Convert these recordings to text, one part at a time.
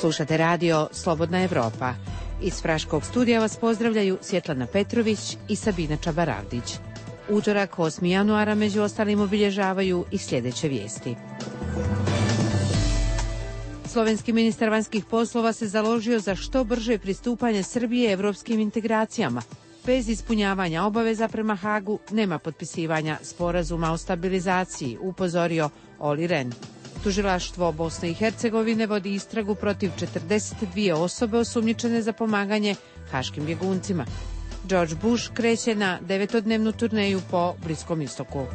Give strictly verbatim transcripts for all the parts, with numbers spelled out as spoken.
Slušate radio Slobodna Evropa. Iz Praškog studija vas pozdravljaju Svjetlana Petrović i Sabina Čabaravdić. Utorak osmog januara među ostalim obilježavaju i sljedeće vijesti. Slovenski ministar vanjskih poslova se založio za što brže pristupanje Srbije evropskim integracijama. Bez ispunjavanja obaveza prema Hagu nema potpisivanja sporazuma o stabilizaciji, upozorio Olli Rehn. Tužilaštvo Bosne i Hercegovine vodi istragu protiv četrdeset dvije osobe osumnjičene za pomaganje haškim bjeguncima. George Bush kreće na devetodnevnu turneju po Bliskom istoku.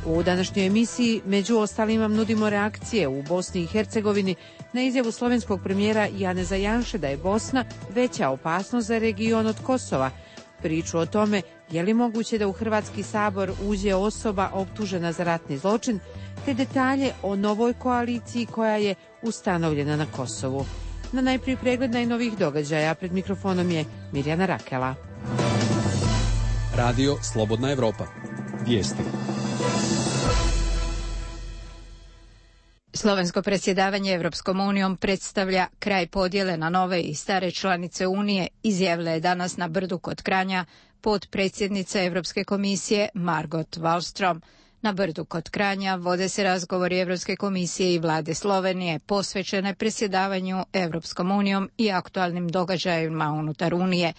U današnjoj emisiji među ostalim vam nudimo reakcije u Bosni i Hercegovini na izjavu slovenskog premijera Janeza Janše da je Bosna veća opasnost za region od Kosova, priču o tome je li moguće da u Hrvatski sabor uđe osoba optužena za ratni zločin, te detalje o novoj koaliciji koja je ustanovljena na Kosovu. Na najprije pregled najnovijih događaja, pred mikrofonom je Mirjana Rakela. Radio Slobodna Evropa. Vijesti. Slovensko predsjedavanje Evropskom unijom predstavlja kraj podjele na nove i stare članice Unije, izjavila je danas na Brdu kod Kranja potpredsjednica Evropske komisije Margot Wallström. Na Brdu kod Kranja vode se razgovori Evropske komisije i vlade Slovenije posvećene predsjedavanju Evropskom unijom i aktualnim događajima unutar Unije.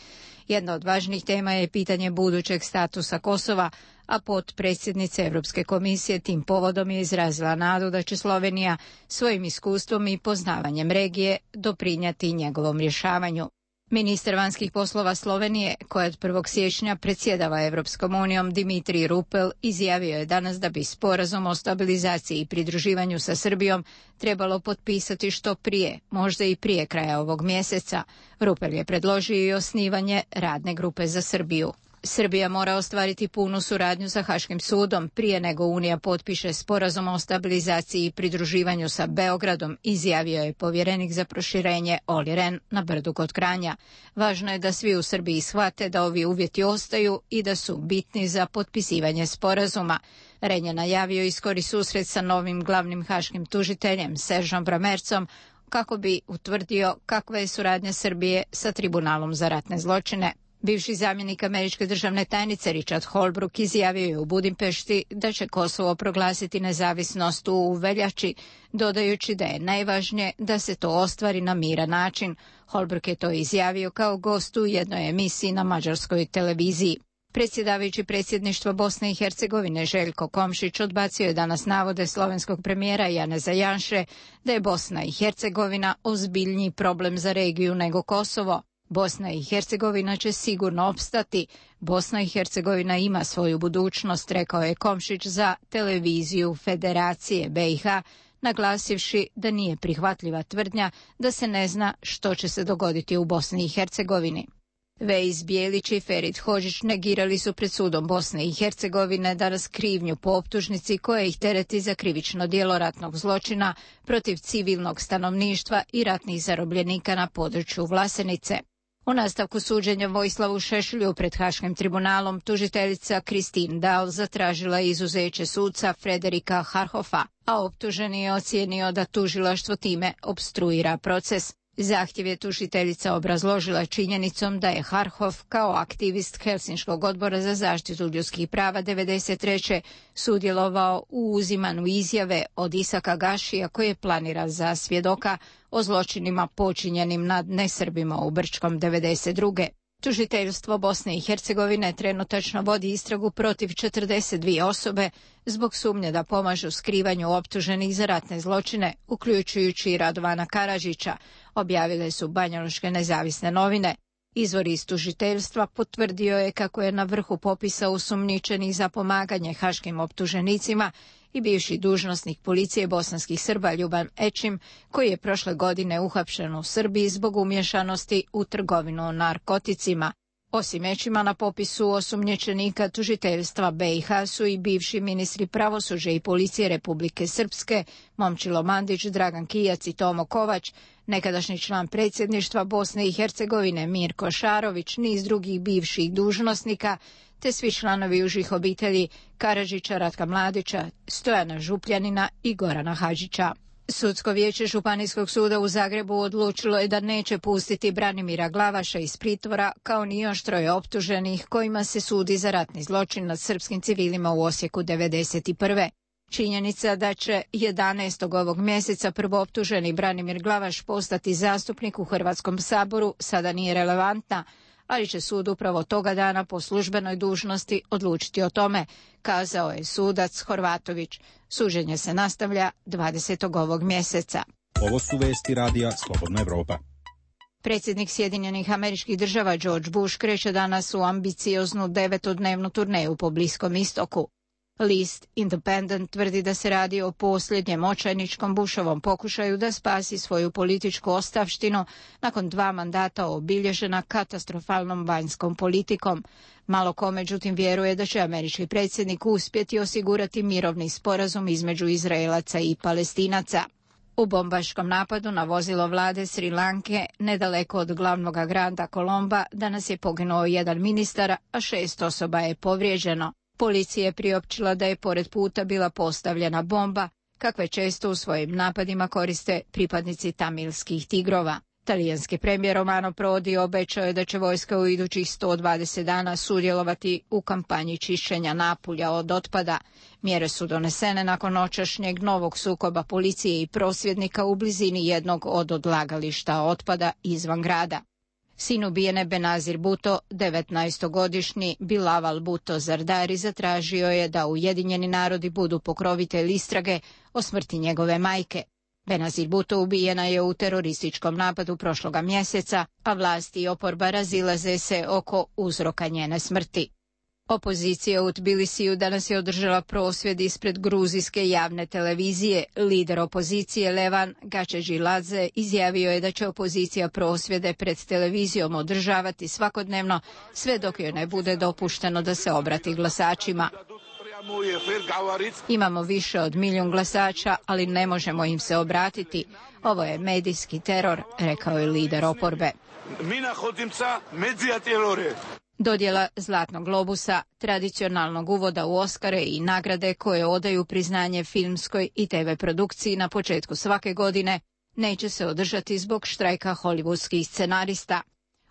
Jedna od važnih tema je pitanje budućeg statusa Kosova, a potpredsjednica Evropske komisije tim povodom je izrazila nadu da će Slovenija svojim iskustvom i poznavanjem regije doprinijeti njegovom rješavanju. Ministar vanjskih poslova Slovenije, koja od prvog siječnja predsjedava Evropskom unijom, Dimitrij Rupel, izjavio je danas da bi sporazum o stabilizaciji i pridruživanju sa Srbijom trebalo potpisati što prije, možda i prije kraja ovog mjeseca. Rupel je predložio i osnivanje radne grupe za Srbiju. Srbija mora ostvariti punu suradnju sa Haškim sudom prije nego Unija potpiše sporazum o stabilizaciji i pridruživanju sa Beogradom, izjavio je povjerenik za proširenje Olli Rehn na Brdu kod Kranja. Važno je da svi u Srbiji shvate da ovi uvjeti ostaju i da su bitni za potpisivanje sporazuma. Rehn je najavio i skori susret sa novim glavnim haškim tužiteljem Seržom Bramercom kako bi utvrdio kakva je suradnja Srbije sa Tribunalom za ratne zločine. Bivši zamjenik američke državne tajnice Richard Holbrooke izjavio je u Budimpešti da će Kosovo proglasiti nezavisnost u veljači, dodajući da je najvažnije da se to ostvari na miran način. Holbrooke je to izjavio kao gost u jednoj emisiji na mađarskoj televiziji. Predsjedavajući predsjedništvo Bosne i Hercegovine Željko Komšić odbacio je danas navode slovenskog premijera Janeza Janše da je Bosna i Hercegovina ozbiljniji problem za regiju nego Kosovo. Bosna i Hercegovina će sigurno opstati. Bosna i Hercegovina ima svoju budućnost, rekao je Komšić za televiziju Federacije be i ha, naglasivši da nije prihvatljiva tvrdnja da se ne zna što će se dogoditi u Bosni i Hercegovini. Vejs Bijelić i Ferit Hodžić negirali su pred sudom Bosne i Hercegovine danas krivnju po optužnici koja ih tereti za krivično djelo ratnog zločina protiv civilnog stanovništva i ratnih zarobljenika na području Vlasenice. U nastavku suđenja Vojislavu Šešelju pred Haškim tribunalom tužiteljica Kristin Dahl zatražila izuzeće suca Frederika Harhofa, a optuženi je ocijenio da tužilaštvo time opstruira proces. Zahtjev je tužiteljica obrazložila činjenicom da je Harhof kao aktivist Helsinškog odbora za zaštitu ljudskih prava devedeset treće sudjelovao u uzimanju izjave od Isaka Gašija koji je planiran za svjedoka o zločinima počinjenim nad nesrbima u Brčkom devedeset druge. Tužiteljstvo Bosne i Hercegovine trenutačno vodi istragu protiv četrdeset dvije osobe zbog sumnje da pomažu skrivanju optuženih za ratne zločine, uključujući i Radovana Karadžića, objavile su banjaluške nezavisne novine. Izvor iz tužiteljstva potvrdio je kako je na vrhu popisa osumnjičenih za pomaganje haškim optuženicima i bivši dužnosnik policije bosanskih Srba Ljuban Ečim, koji je prošle godine uhapšen u Srbiji zbog umješanosti u trgovinu narkoticima. Osim Ečima na popisu osumnjičenika tužiteljstva be i ha su i bivši ministri pravosuđa i policije Republike Srpske, Momčilo Mandić, Dragan Kijac i Tomo Kovač, nekadašnji član predsjedništva Bosne i Hercegovine Mirko Šarović, niz drugih bivših dužnosnika, te svi članovi užih obitelji Karadžića, Ratka Mladića, Stojana Župljanina i Gorana Hadžića. Sudsko vijeće Županijskog suda u Zagrebu odlučilo je da neće pustiti Branimira Glavaša iz pritvora, kao ni još troje optuženih kojima se sudi za ratni zločin nad srpskim civilima u Osijeku devedeset prve. Činjenica da će jedanaestog ovog mjeseca prvooptuženi Branimir Glavaš postati zastupnik u Hrvatskom saboru sada nije relevantna, ali će sud upravo toga dana po službenoj dužnosti odlučiti o tome, kazao je sudac Horvatović. Suđenje se nastavlja dvadesetog ovog mjeseca. Ovo su vesti radija Slobodna Evropa. Predsjednik Sjedinjenih Američkih Država George Bush kreće danas u ambicioznu devetodnevnu turneju po Bliskom istoku. List Independent tvrdi da se radi o posljednjem očajničkom Bushovom pokušaju da spasi svoju političku ostavštinu nakon dva mandata obilježena katastrofalnom vanjskom politikom. Malo ko međutim vjeruje da će američki predsjednik uspjeti osigurati mirovni sporazum između Izraelaca i Palestinaca. U bombaškom napadu na vozilo vlade Sri Lanke, nedaleko od glavnog grada Kolomba, danas je poginuo jedan ministar, a šest osoba je povrijeđeno. Policija je priopćila da je pored puta bila postavljena bomba, kakve često u svojim napadima koriste pripadnici tamilskih tigrova. Talijanski premijer Romano Prodi obećao je da će vojska u idućih sto dvadeset dana sudjelovati u kampanji čišćenja Napulja od otpada. Mjere su donesene nakon noćašnjeg novog sukoba policije i prosvjednika u blizini jednog od odlagališta otpada izvan grada. Sin ubijene Benazir Bhutto, devetnaestogodišnji Bilaval Bhutto Zardari, zatražio je da Ujedinjeni narodi budu pokrovitelj istrage o smrti njegove majke. Benazir Bhutto ubijena je u terorističkom napadu prošloga mjeseca, a vlasti i oporba razilaze se oko uzroka njene smrti. Opozicija u Tbilisiju danas je održala prosvjed ispred gruzijske javne televizije. Lider opozicije Levan Gačeđiladze izjavio je da će opozicija prosvjede pred televizijom održavati svakodnevno, sve dok joj ne bude dopušteno da se obrati glasačima. Imamo više od milijun glasača, ali ne možemo im se obratiti. Ovo je medijski teror, rekao je lider oporbe. Dodjela Zlatnog globusa, tradicionalnog uvoda u Oskare i nagrade koje odaju priznanje filmskoj i te ve produkciji na početku svake godine, neće se održati zbog štrajka hollywoodskih scenarista.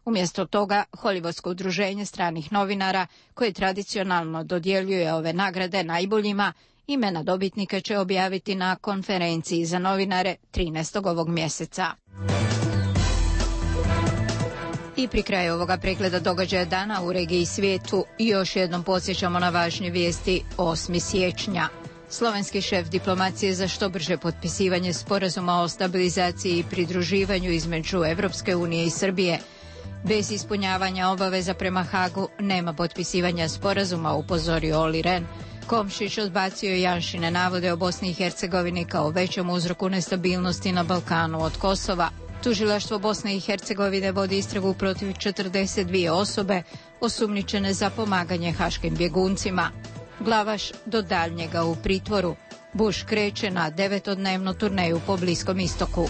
Umjesto toga, Hollywoodsko udruženje stranih novinara, koje tradicionalno dodjeljuje ove nagrade najboljima, imena dobitnika će objaviti na konferenciji za novinare trinaestog ovog mjeseca. I pri kraju ovoga pregleda događaja dana u regiji i svijetu još jednom podsjećamo na važnje vijesti. osmog siječnja. Slovenski šef diplomacije za što brže potpisivanje sporazuma o stabilizaciji i pridruživanju između Evropske unije i Srbije. Bez ispunjavanja obaveza prema Hagu nema potpisivanja sporazuma, upozorio Olli Rehn. Komšić odbacio Janšine navode o Bosni i Hercegovini kao većem uzroku nestabilnosti na Balkanu od Kosova. Tužilaštvo Bosne i Hercegovine vodi istragu protiv četrdeset dvije osobe osumnjičene za pomaganje haškim bjeguncima. Glavaš do daljnjega u pritvoru. Bush kreće na devetodnevnu turneju po Bliskom istoku.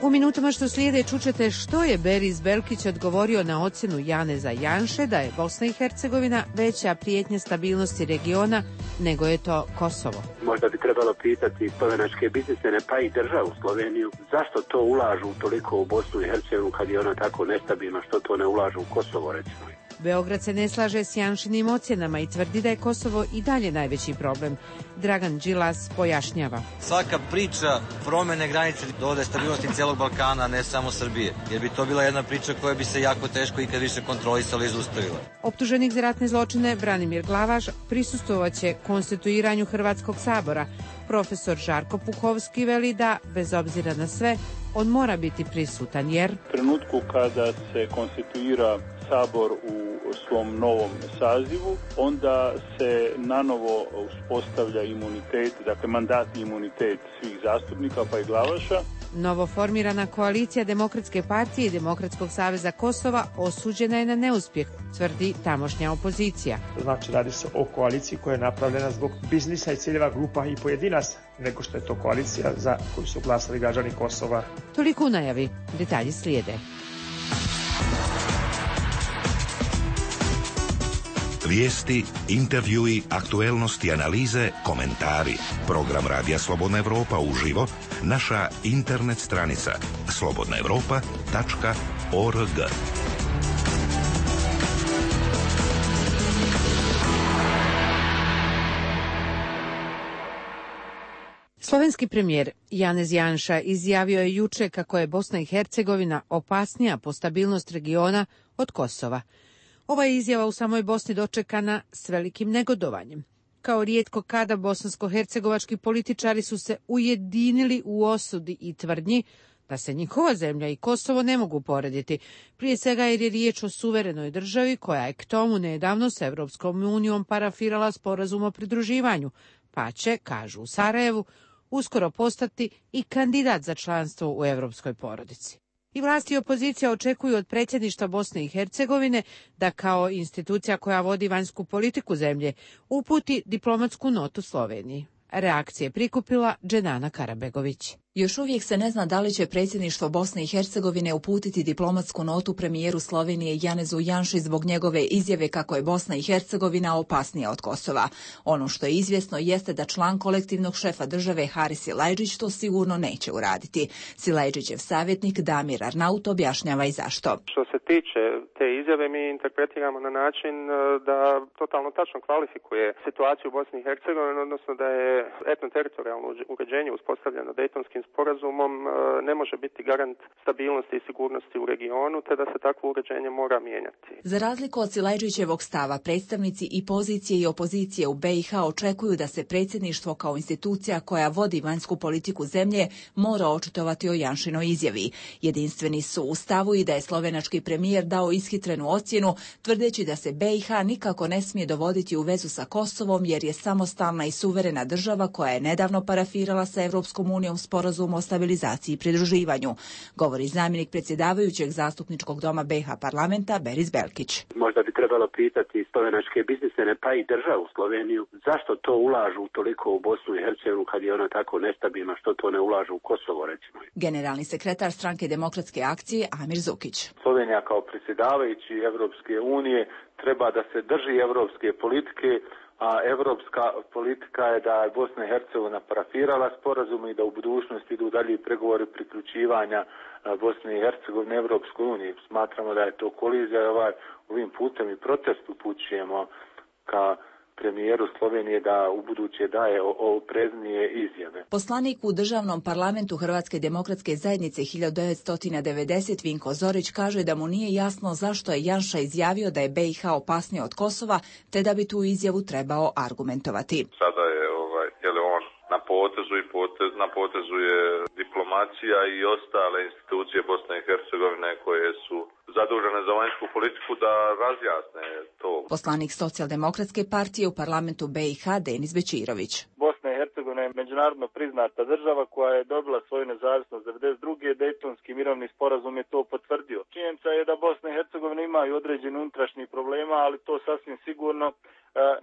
U minutama što slijede čućete što je Beris Belkić odgovorio na ocjenu Janeza Janše da je Bosna i Hercegovina veća prijetnja stabilnosti regiona nego je to Kosovo. Možda bi trebalo pitati slovenačke biznismene pa i državu Sloveniju zašto to ulažu toliko u Bosnu i Hercegovinu kad je ona tako nestabilna, što to ne ulažu u Kosovo recimo. Beograd se ne slaže s Janšinim ocjenama i tvrdi da je Kosovo i dalje najveći problem. Dragan Đilas pojašnjava. Svaka priča promjene granice dovode stabilnosti cijelog Balkana, ne samo Srbije, jer bi to bila jedna priča koja bi se jako teško ikad više kontrolisala i zaustavila. Optuženik za ratne zločine Branimir Glavaš prisustvovaće konstituiranju Hrvatskog sabora. Profesor Žarko Puhovski veli da, bez obzira na sve, on mora biti prisutan jer... U trenutku kada se konstituira Sabor u svom novom sazivu, onda se nanovo uspostavlja imunitet, dakle mandatni imunitet svih zastupnika pa i Glavaša. Novoformirana koalicija Demokratske partije i Demokratskog saveza Kosova osuđena je na neuspjeh, tvrdi tamošnja opozicija. Znači radi se o koaliciji koja je napravljena zbog biznisa i ciljeva grupa i pojedinaca, nego što je to koalicija za koju su glasali građani Kosova. Toliko u najavi, detalji slijede. Vijesti, intervjui, aktuelnosti, analize, komentari. Program Radija Slobodna Evropa uživo, naša internet stranica slobodna evropa tačka org. Slovenski premijer Janez Janša izjavio je juče kako je Bosna i Hercegovina opasnija po stabilnost regiona od Kosova. Ova je izjava u samoj Bosni dočekana s velikim negodovanjem. Kao rijetko kada bosansko-hercegovački političari su se ujedinili u osudi i tvrdnji da se njihova zemlja i Kosovo ne mogu porediti, prije svega jer je riječ o suverenoj državi koja je k tomu nedavno s Evropskom unijom parafirala sporazum o pridruživanju, pa će, kažu u Sarajevu, uskoro postati i kandidat za članstvo u evropskoj porodici. I vlasti i opozicija očekuju od predsjedništva Bosne i Hercegovine da kao institucija koja vodi vanjsku politiku zemlje uputi diplomatsku notu Sloveniji. Reakcije prikupila Dženana Karabegović. Još uvijek se ne zna da li će predsjedništvo Bosne i Hercegovine uputiti diplomatsku notu premijeru Slovenije Janezu Janši zbog njegove izjave kako je Bosna i Hercegovina opasnija od Kosova. Ono što je izvjesno jeste da član kolektivnog šefa države Haris Silajdžić to sigurno neće uraditi. Silajdžićev savjetnik Damir Arnaut objašnjava i zašto. Što se tiče te izjave, mi interpretiramo na način da totalno tačno kvalifikuje situaciju u Bosni i Hercegovini, odnosno da je etnoteritorijalno uređenje uspostavljeno Dejtonskim sporazumom ne može biti garant stabilnosti i sigurnosti u regionu, te da se takvo uređenje mora mijenjati. Za razliku od Silajdžićevog stava, predstavnici i pozicije i opozicije u be i ha očekuju da se predsjedništvo kao institucija koja vodi vanjsku politiku zemlje mora očitovati o Janšinoj izjavi. Jedinstveni su u stavu i da je slovenački premijer dao ishitrenu ocjenu, tvrdeći da se be i ha nikako ne smije dovoditi u vezu sa Kosovom jer je samostalna i suverena država koja je nedavno parafirala sa Evropskom unijom sporazum o stabilizaciji i pridruživanju, govori zamjenik predsjedavajućeg zastupničkog doma be i ha parlamenta Beris Belkić. Možda bi trebalo pitati slovenačke biznismene pa i državu Sloveniju zašto to ulažu toliko u Bosnu i Hercegovinu kad je ona tako nestabilna, što to ne ulažu u Kosovo recimo. Generalni sekretar stranke Demokratske akcije Amir Zukić. Slovenija kao predsjedavajući Evropske unije treba da se drži evropske politike, a evropska politika je da je Bosna i Hercegovina parafirala sporazum i da u budućnosti idu dalje pregovori priključivanja Bosne i Hercegovine Evropskoj uniji. Smatramo da je to kolizija i ovaj, ovim putem i protest upućujemo ka premijeru Slovenije da u buduće daje opreznije izjave. Poslanik u državnom parlamentu Hrvatske demokratske zajednice hiljadu devetsto devedeset Vinko Zorić kaže da mu nije jasno zašto je Janša izjavio da je be i ha opasnija od Kosova, te da bi tu izjavu trebao argumentovati. Sada je ovaj, je li on na potezu i potez, na potezu je diplomacija i ostale institucije Bosne i Hercegovine koje su zadužene za vanjsku politiku da razjasne to. Poslanik Socijaldemokratske partije u parlamentu be i ha Denis Bečirović. Bosna i Hercegovina je međunarodno priznata država koja je dobila svoju nezavisnost devedeset druge Dejtonski mirovni sporazum je to potvrdio. Činjenica je da Bosna i Hercegovina imaju određeni unutrašnjih problema, ali to sasvim sigurno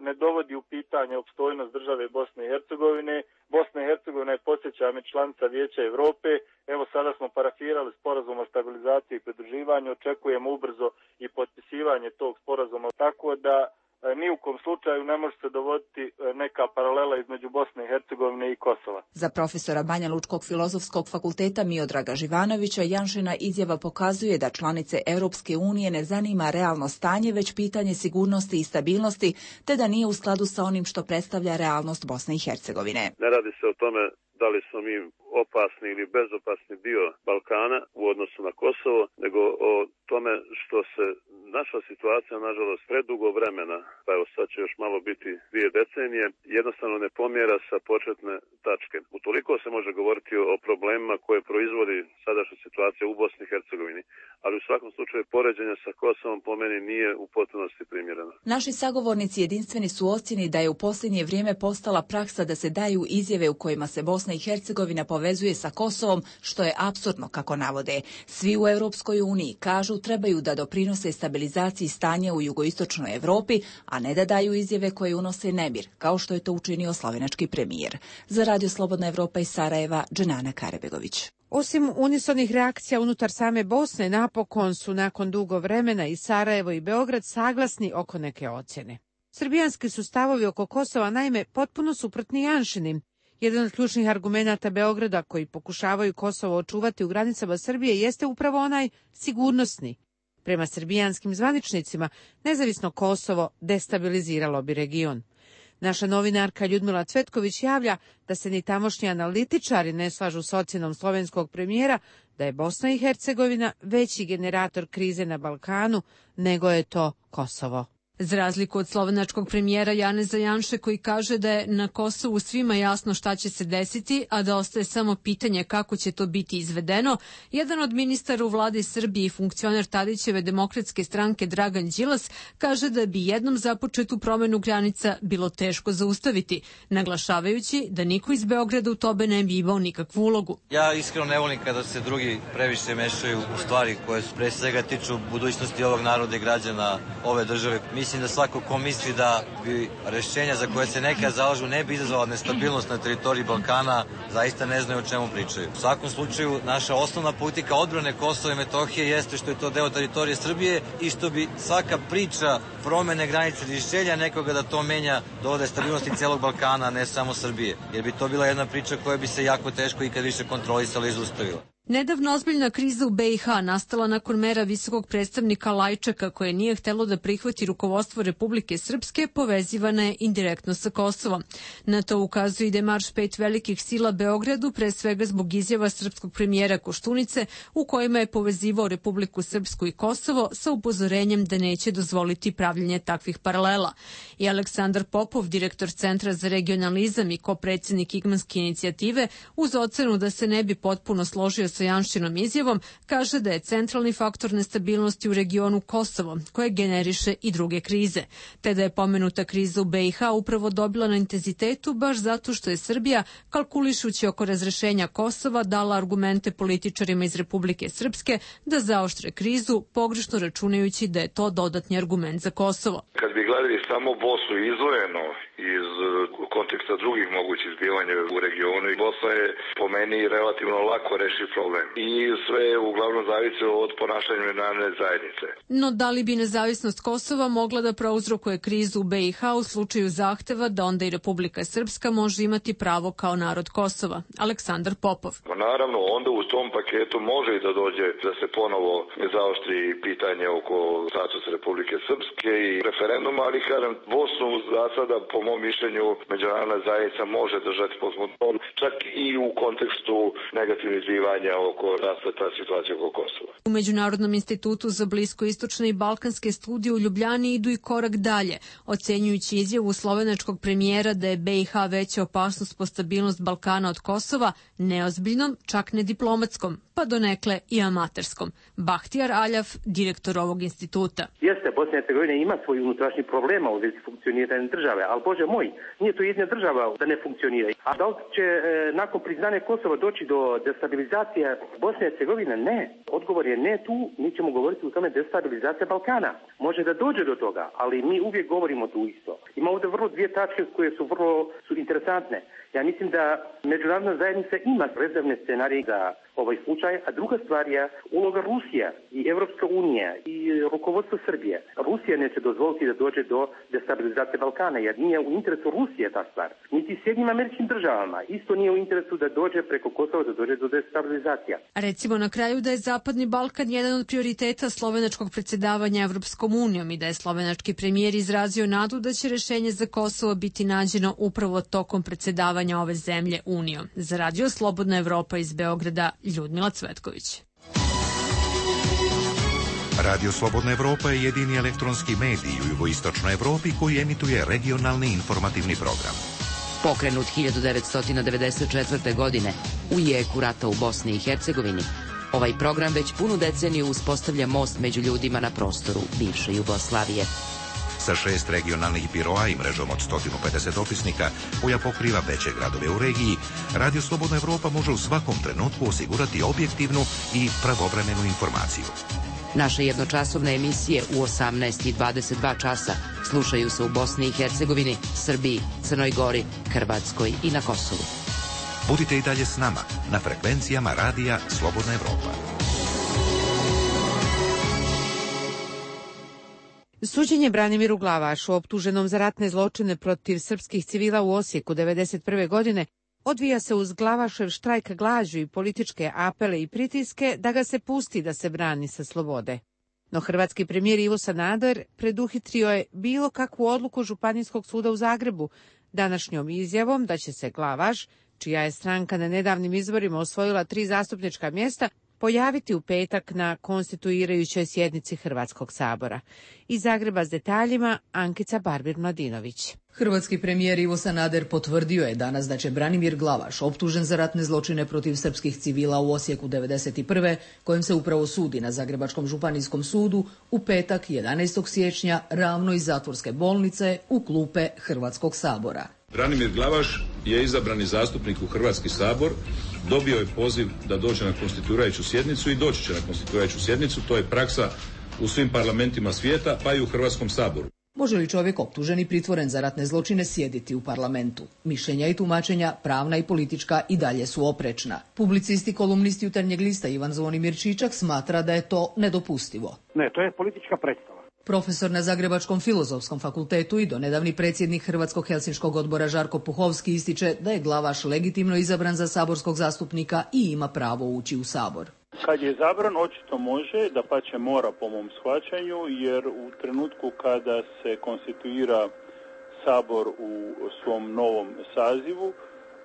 ne dovodi u pitanje opstojnost države Bosne i Hercegovine. Bosna i Hercegovina je, podsjećam, članica Vijeća Europe. Evo sada smo parafirali sporazum o stabilizaciji i pridruživanju, očekujemo ubrzo i potpisivanje tog sporazuma, tako da ni u kom slučaju ne može se dovoditi neka paralela između Bosne i Hercegovine i Kosova. Za profesora Banja Lučkog filozofskog fakulteta Miodraga Živanovića Janšina izjava pokazuje da članice Europske unije ne zanima realno stanje, već pitanje sigurnosti i stabilnosti, te da nije u skladu sa onim što predstavlja realnost Bosne i Hercegovine. Ne radi se o tome da li smo mi opasni ili bezopasni dio Balkana u odnosu na Kosovo, nego o tome što se naša situacija, nažalost, predugo vremena, pa evo sad će još malo biti dvije decenije, jednostavno ne pomjera sa početne tačke. Utoliko se može govoriti o problemima koje proizvodi sadašnja situacija u Bosni i Hercegovini, ali u svakom slučaju poređenje sa Kosovom po meni nije u potpunosti primjereno. Naši sagovornici jedinstveni su ocjeni da je u posljednje vrijeme postala praksa da se daju izjave u kojima se Bosna i Hercegovina povezuje sa Kosovom, što je apsurdno kako navode. Svi u Europskoj uniji kažu trebaju da doprinose stabilizaciji stanja u jugoistočnoj Europi, a ne da daju izjave koje unose nemir, kao što je to učinio slovenački premijer. Za Radio Slobodna Evropa iz Sarajeva, Dženana Karabegović. Osim unisonih reakcija unutar same Bosne, napokon su nakon dugo vremena i Sarajevo i Beograd saglasni oko neke ocjene. Srbijanski su stavovi oko Kosova naime potpuno suprotni Janšinim. Jedan od ključnih argumenata Beograda koji pokušavaju Kosovo očuvati u granicama Srbije jeste upravo onaj sigurnosni. Prema srbijanskim zvaničnicima, nezavisno Kosovo destabiliziralo bi region. Naša novinarka Ljudmila Cvetković javlja da se ni tamošnji analitičari ne slažu s ocjenom slovenskog premijera da je Bosna i Hercegovina veći generator krize na Balkanu nego je to Kosovo. Za razliku od slovenačkog premijera Janeza Janše koji kaže da je na Kosovu svima jasno šta će se desiti, a da ostaje samo pitanje kako će to biti izvedeno, jedan od ministara u vladi Srbije i funkcioner Tadićeve demokratske stranke Dragan Đilas kaže da bi jednom započetu promenu granica bilo teško zaustaviti, naglašavajući da niko iz Beograda u tome ne bi imao nikakvu ulogu. Ja iskreno ne volim kada se drugi previše mešaju u stvari koje su pre svega tiču budućnosti ovog naroda i građana ove države. Mislim da svako ko misli da bi rešenja za koje se neka zalažu ne bi izazvala nestabilnost na teritoriji Balkana, zaista ne znaju o čemu pričaju. U svakom slučaju, naša osnovna politika odbrane Kosova i Metohije jeste što je to deo teritorije Srbije i što bi svaka priča promene granice rješenja nekoga da to menja dovode stabilnosti celog Balkana, a ne samo Srbije. Jer bi to bila jedna priča koja bi se jako teško ikad više kontrolisala i zaustavila. Nedavno ozbiljna kriza u be i ha nastala nakon mera visokog predstavnika Lajčaka koje nije htelo da prihvati rukovodstvo Republike Srpske, povezivana je indirektno sa Kosovom. Na to ukazuje i demarš pet velikih sila Beogradu, pre svega zbog izjava srpskog premijera Koštunice u kojima je povezivao Republiku Srpsku i Kosovo sa upozorenjem da neće dozvoliti pravljenje takvih paralela. I Aleksandar Popov, direktor Centra za regionalizam i kopredsjednik Igmanske inicijative, uz ocenu da se ne bi potpuno složio sa Janšinom izjavom, kaže da je centralni faktor nestabilnosti u regionu Kosovo, koje generiše i druge krize, te da je pomenuta kriza u be i ha upravo dobila na intenzitetu baš zato što je Srbija, kalkulišući oko razrešenja Kosova, dala argumente političarima iz Republike Srpske da zaoštre krizu, pogrešno računajući da je to dodatni argument za Kosovo. Kad bi gledali samo Bosnu izdvojeno iz konteksta drugih mogućih zbivanja u regionu, Bosna je po meni relativno lako reši problem. I sve je uglavnom zavisi od ponašanja međunarodne zajednice. No da li bi nezavisnost Kosova mogla da prouzrokuje krizu u be i ha u slučaju zahteva da onda i Republika Srpska može imati pravo kao narod Kosova? Aleksandar Popov. Pa naravno, onda u tom paketu može i da dođe da se ponovo zaoštri pitanje oko statusa Republike Srpske i referenduma, ali kažem, Bosnu za sada, po mom mišljenju, međunarodna zajednica može držati pod kontrolom, čak i u kontekstu negativnih zbivanja oko raspleta situacije oko Kosova. U Međunarodnom institutu za bliskoistočne i balkanske studije u Ljubljani idu i korak dalje, ocenjujući izjavu slovenačkog premijera da je be i ha veća opasnost po stabilnost Balkana od Kosova, neozbiljnom, čak ne diplomatskom, pa donekle i amaterskom. Bahtijar Aljaf, direktor ovog instituta. Jeste, Bosna i Hercegovina ima svoj unutrašnji problema u vezi funkcioniranja države, ali Bože moj, nije to jedna država da ne funkcionira. A da li će e, nakon priznanja Kosova doći do destabilizacije Bosne i Hercegovine? Ne. Odgovor je ne tu, mi ćemo govoriti o tome destabilizacija Balkana. Može da dođe do toga, ali mi uvijek govorimo tu isto. Ima ovdje vrlo dvije tačke koje su vrlo su interesantne. Ja mislim da međunarodna zajednica ima rezervne scenarije za ovaj slučaj, a druga stvar je uloga Rusija i Evropska unija i rukovodstvo Srbije. Rusija neće dozvoliti da dođe do destabilizacije Balkana, jer nije u interesu Rusije ta stvar. Niti Sjedinjenim Američkim Državama isto nije u interesu da dođe preko Kosova, da dođe do destabilizacija. Recimo na kraju da je Zapadni Balkan jedan od prioriteta slovenačkog predsjedavanja Evropskom unijom i da je slovenački premijer izrazio nadu da će rešenje za Kosovo biti nađeno upravo tokom predsjedavanja ove zemlje Unijom. Za Radio Slobodna Evropa iz Beograda, Ljudmila Cvetković. Radio Slobodna Evropa je jedini elektronski medij u jugoistočnoj Evropi koji emituje regionalni informativni program. Pokrenut hiljadu devetsto devedeset četvrte. godine u jeku rata u Bosni i Hercegovini, ovaj program već punu deceniju uspostavlja most među ljudima na prostoru bivše Jugoslavije. Sa šest regionalnih biroa i mrežom od sto pedeset opisnika koja pokriva veće gradove u regiji, Radio Slobodna Evropa može u svakom trenutku osigurati objektivnu i pravovremenu informaciju. Naše jednočasovne emisije u osamnaest i dvadeset dva časa slušaju se u Bosni i Hercegovini, Srbiji, Crnoj Gori, Hrvatskoj i na Kosovu. Budite i dalje s nama na frekvencijama Radija Slobodna Evropa. Suđenje Branimiru Glavašu, optuženom za ratne zločine protiv srpskih civila u Osijeku devedeset prve godine, odvija se uz Glavašev štrajk glađu i političke apele i pritiske da ga se pusti da se brani sa slobode. No hrvatski premijer Ivo Sanader preduhitrio je bilo kakvu odluku Županijskog suda u Zagrebu današnjom izjavom da će se Glavaš, čija je stranka na nedavnim izborima osvojila tri zastupnička mjesta, pojaviti u petak na konstituirajućoj sjednici Hrvatskog sabora. Iz Zagreba s detaljima Ankica Barbir-Mladinović. Hrvatski premijer Ivo Sanader potvrdio je danas da će Branimir Glavaš, optužen za ratne zločine protiv srpskih civila u Osijeku devedeset prve, kojem se upravo sudi na Zagrebačkom županijskom sudu, u petak jedanaestog siječnja ravno iz zatvorske bolnice u klupe Hrvatskog sabora. Branimir Glavaš je izabrani zastupnik u Hrvatski sabor, dobio je poziv da dođe na konstituirajuću sjednicu i doći će na konstituirajuću sjednicu. To je praksa u svim parlamentima svijeta, pa i u Hrvatskom saboru. Može li čovjek optužen i pritvoren za ratne zločine sjediti u parlamentu? Mišljenja i tumačenja, pravna i politička, i dalje su oprečna. Publicist i kolumnist Jutarnjeg lista Ivan Zvonimir Čičak smatra da je to nedopustivo. Ne, to je politička predstava. Profesor na Zagrebačkom filozofskom fakultetu i donedavni predsjednik Hrvatskog helsinškog odbora Žarko Puhovski ističe da je Glavaš legitimno izabran za saborskog zastupnika i ima pravo ući u sabor. Kad je izabran, očito može, da pa će mora po mom shvaćanju, jer u trenutku kada se konstituira sabor u svom novom sazivu,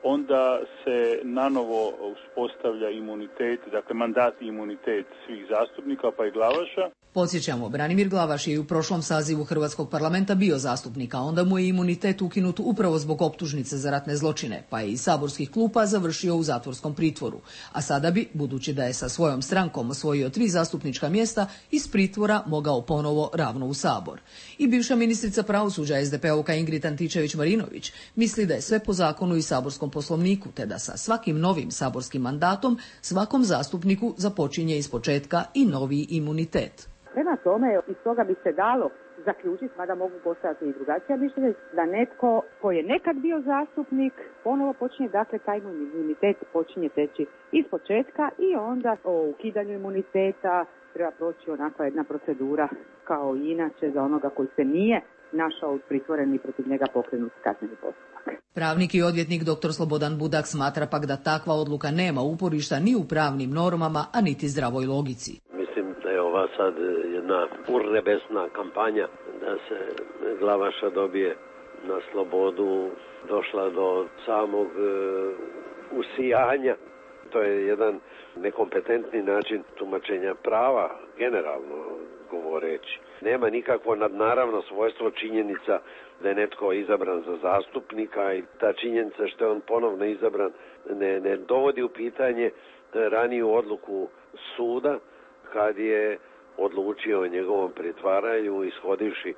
onda se nanovo uspostavlja imunitet, dakle mandat i imunitet svih zastupnika, pa i Glavaša. Podsjećamo, Branimir Glavaš je i u prošlom sazivu Hrvatskog parlamenta bio zastupnik, a onda mu je imunitet ukinut upravo zbog optužnice za ratne zločine, pa je iz saborskih klupa završio u zatvorskom pritvoru. A sada bi, budući da je sa svojom strankom osvojio tri zastupnička mjesta, iz pritvora mogao ponovo ravno u sabor. I bivša ministrica pravosuđa es de pe-ovka Ingrid Antičević-Marinović misli da je sve po zakonu i saborskom poslovniku, te da sa svakim novim saborskim mandatom svakom zastupniku započinje ispočetka i novi imunitet. Prema tome, iz toga bi se dalo zaključiti, mada mogu postaviti i drugačija mišljenja, da netko ko je nekad bio zastupnik ponovo počinje, dakle taj imunitet počinje teći iz početka i onda o ukidanju imuniteta treba proći onakva jedna procedura kao i inače za onoga koji se nije našao pritvoren i protiv njega pokrenut kazneni postupak. Pravnik i odvjetnik dr. Slobodan Budak smatra pak da takva odluka nema uporišta ni u pravnim normama, a niti zdravoj logici. Ova sad jedna urnebesna kampanja da se Glavaša dobije na slobodu došla do samog e, usijanja. To je jedan nekompetentni način tumačenja prava, generalno govoreći. Nema nikakvo nadnaravno svojstvo činjenica da je netko izabran za zastupnika i ta činjenica što je on ponovno izabran ne, ne dovodi u pitanje raniju odluku suda kad je odlučio o njegovom pritvaranju, ishodivši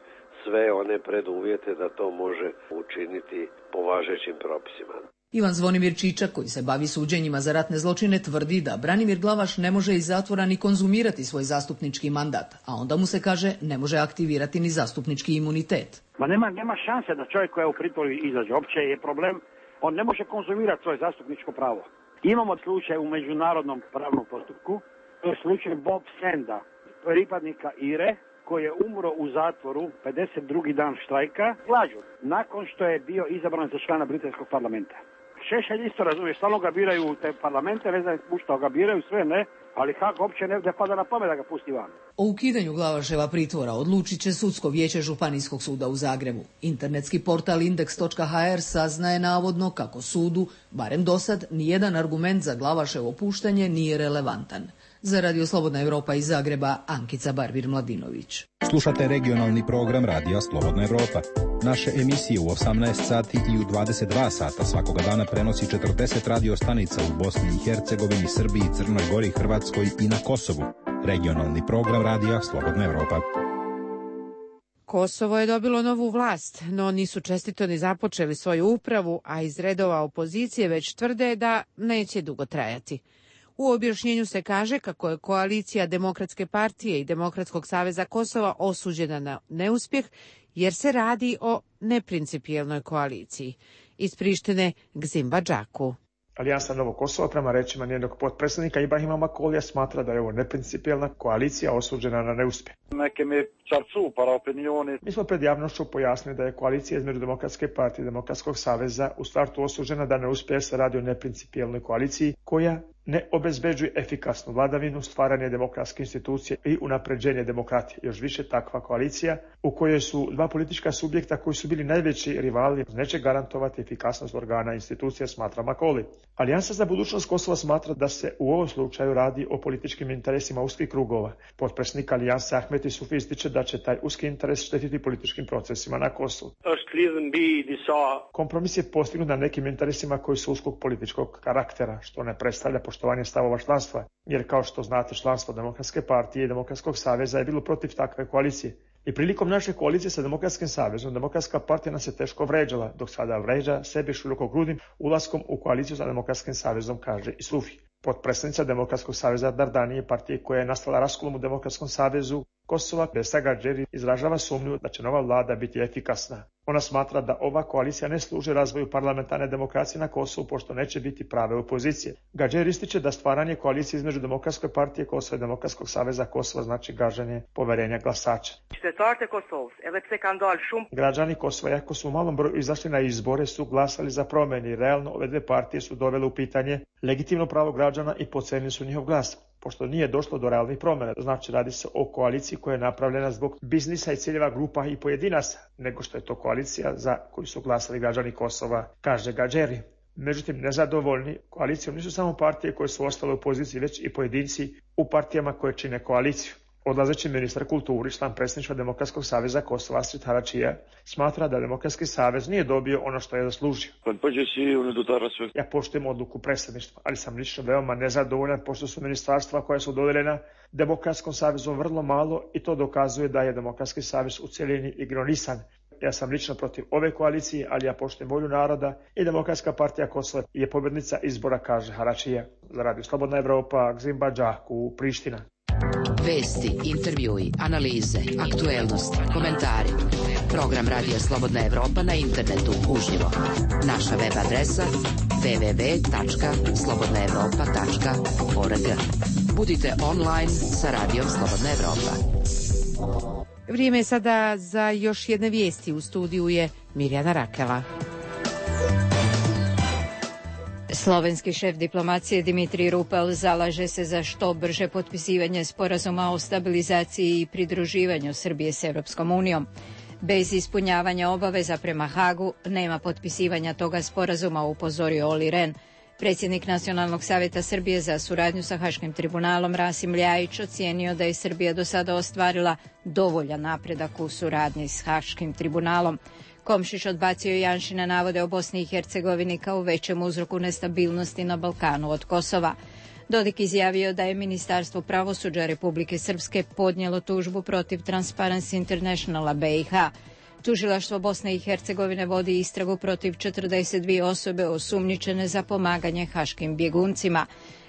sve one preduvjete da to može učiniti po važećim propisima. Ivan Zvonimir Čičak, koji se bavi suđenjima za ratne zločine, tvrdi da Branimir Glavaš ne može iz zatvora ni konzumirati svoj zastupnički mandat, a onda mu se kaže ne može aktivirati ni zastupnički imunitet. Ma nema, nema šanse da čovjek koji je u pritvoru izađe. Opće je problem, on ne može konzumirati svoje zastupničko pravo. Imamo slučaj u međunarodnom pravnom postupku, to je slučaj Bob Senda, pripadnika Ire, koji je umro u zatvoru pedeset drugi dan štrajka, glađu, nakon što je bio izabran za člana britanskog parlamenta. Šešelj isto razumije, stalno ga biraju u te parlamente, ne znam što ga biraju, sve ne, ali kako uopće ne pada na pamet da ga pusti van. O ukidanju Glavaševa pritvora odlučit će Sudsko vijeće Županijskog suda u Zagrebu. Internetski portal indeks točka ha er saznaje navodno kako sudu, barem dosad, nijedan argument za Glavaševo puštanje nije relevantan. Za Radio Slobodna Evropa iz Zagreba, Ankica Barbir-Mladinović. Slušate regionalni program Radija Slobodna Evropa. Naše emisije u osamnaest sati i u dvadeset dva sata svakoga dana prenosi četrdeset radio stanica u Bosni i Hercegovini, Srbiji, Crnoj Gori, Hrvatskoj i na Kosovu. Regionalni program Radija Slobodna Evropa. Kosovo je dobilo novu vlast, no nisu čestito ni započeli svoju upravu, a iz redova opozicije već tvrde da neće dugo trajati. U objašnjenju se kaže kako je koalicija Demokratske partije i Demokratskog saveza Kosova osuđena na neuspjeh jer se radi o neprincipijelnoj koaliciji. Iz Prištine Gzim Badžaku. Alijansa Novo Kosovo, prema rečima njenog potpredsjednika Ibrahima Makolija, smatra da je ovo neprincipijelna koalicija osuđena na neuspjeh. Mi smo pred javnošću pojasnili da je koalicija između Demokratske partije i Demokratskog saveza u startu osuđena da ne uspije, se radi o neprincipijelnoj koaliciji koja ne obezbeđuje efikasnu vladavinu, stvaranje demokratske institucije i unapređenje demokratije. Još više takva koalicija u kojoj su dva politička subjekta koji su bili najveći rivali neće garantovati efikasnost organa institucija, smatra Makoli. Alijansa za budućnost Kosova smatra da se u ovom slučaju radi o političkim interesima uskih krugova. Potpredsjednik Alijanse Ahmet Isufi ističe da će taj uski interes štetiti političkim procesima na Kosovu. Kompromis je postignut na nekim interesima koji su uskog političkog karaktera, što ne predstavlja poštovanje stavova članstva, jer kao što znate članstvo Demokratske partije i Demokratskog saveza je bilo protiv takve koalicije. I prilikom naše koalicije sa Demokratskim savezom, Demokratska partija nas je teško vređala, dok sada vređa sebe širokogrudnim ulaskom u koaliciju sa Demokratskim savezom, kaže Isufi. Potpredsjednica Demokratskog saveza Dardanije, partije koja je nastala raskolom u Demokratskom savezu Kosova, Besa Gadžeri, izražava sumnju da će nova vlada biti efikasna. Ona smatra da ova koalicija ne služi razvoju parlamentarne demokracije na Kosovu, pošto neće biti prave opozicije. Gadžeri ističe da stvaranje koalicije između Demokratske partije Kosova i Demokratskog saveza Kosova znači gaženje poverenja glasača. Građani Kosova, iako su u malom broju izašli na izbore, su glasali za promjene i realno ove dve partije su dovele u pitanje legitimno pravo građana i podcenili su njihov glas. Pošto nije došlo do realnih promjena, znači radi se o koaliciji koja je napravljena zbog biznisa i ciljeva grupa i pojedinaca, nego što je to koalicija za koju su glasali građani Kosova, kaže Gadžeri. Međutim, nezadovoljni koalicijom nisu samo partije koje su ostale u poziciji, već i pojedinci u partijama koje čine koaliciju. Odlazeći ministar kulturi, član predsjedništva Demokratskog saveza Kosova, Astrid Haračija, smatra da Demokratski savez nije dobio ono što je zaslužio. Ja poštujem odluku predsjedništva, ali sam lično veoma nezadovoljan pošto su ministarstva koja su dodeljena Demokratskom savezu vrlo malo i to dokazuje da je Demokratski savez u cjelini ignorisan. Ja sam lično protiv ove koalicije, ali ja poštujem volju naroda i Demokratska partija Kosova je pobjednica izbora, kaže Haračija. Za Radio Slobodna Evropa, Gzimba Džaku, Priština. Vesti, intervjui, analize, aktuelnosti, komentari. Program Radija Slobodna Evropa na internetu uživo. Naša web adresa w w w tačka slobodna evropa tačka org. Budite online sa Radijom Slobodna Evropa. Vrijeme je sada za još jedne vijesti. U studiju je Mirjana Rakela. Slovenski šef diplomacije Dimitrij Rupel zalaže se za što brže potpisivanje sporazuma o stabilizaciji i pridruživanju Srbije s Europskom unijom. Bez ispunjavanja obaveza prema Hagu nema potpisivanja toga sporazuma, upozorio Oli Rehn. Predsjednik Nacionalnog savjeta Srbije za suradnju sa Haškim tribunalom Rasim Ljajić ocijenio da je Srbija do sada ostvarila dovoljan napredak u suradnji s Haškim tribunalom. Komšić odbacio Janšine navode o Bosni i Hercegovini kao većem uzroku nestabilnosti na Balkanu od Kosova. Dodik izjavio da je Ministarstvo pravosuđa Republike Srpske podnijelo tužbu protiv Transparency Internationala B i H. Tužilaštvo Bosne i Hercegovine vodi istragu protiv četrdeset dvije osobe osumnjičene za pomaganje haškim bjeguncima.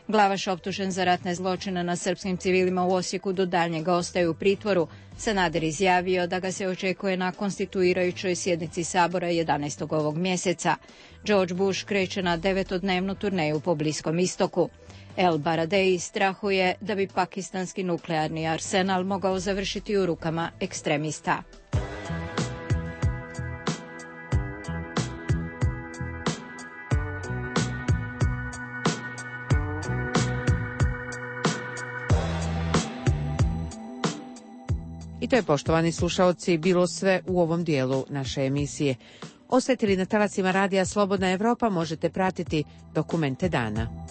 Glavaš optužen za ratne zločine na srpskim civilima u Osijeku do daljnjega ostaje u pritvoru. Sanader izjavio da ga se očekuje na konstituirajućoj sjednici Sabora jedanaestog ovog mjeseca. George Bush kreće na devetodnevnu turneju po Bliskom istoku. El Baradei strahuje da bi pakistanski nuklearni arsenal mogao završiti u rukama ekstremista. I to je, poštovani slušaoci, bilo sve u ovom dijelu naše emisije. Ostajete li na talacima Radija Slobodna Evropa, možete pratiti Dokumente dana.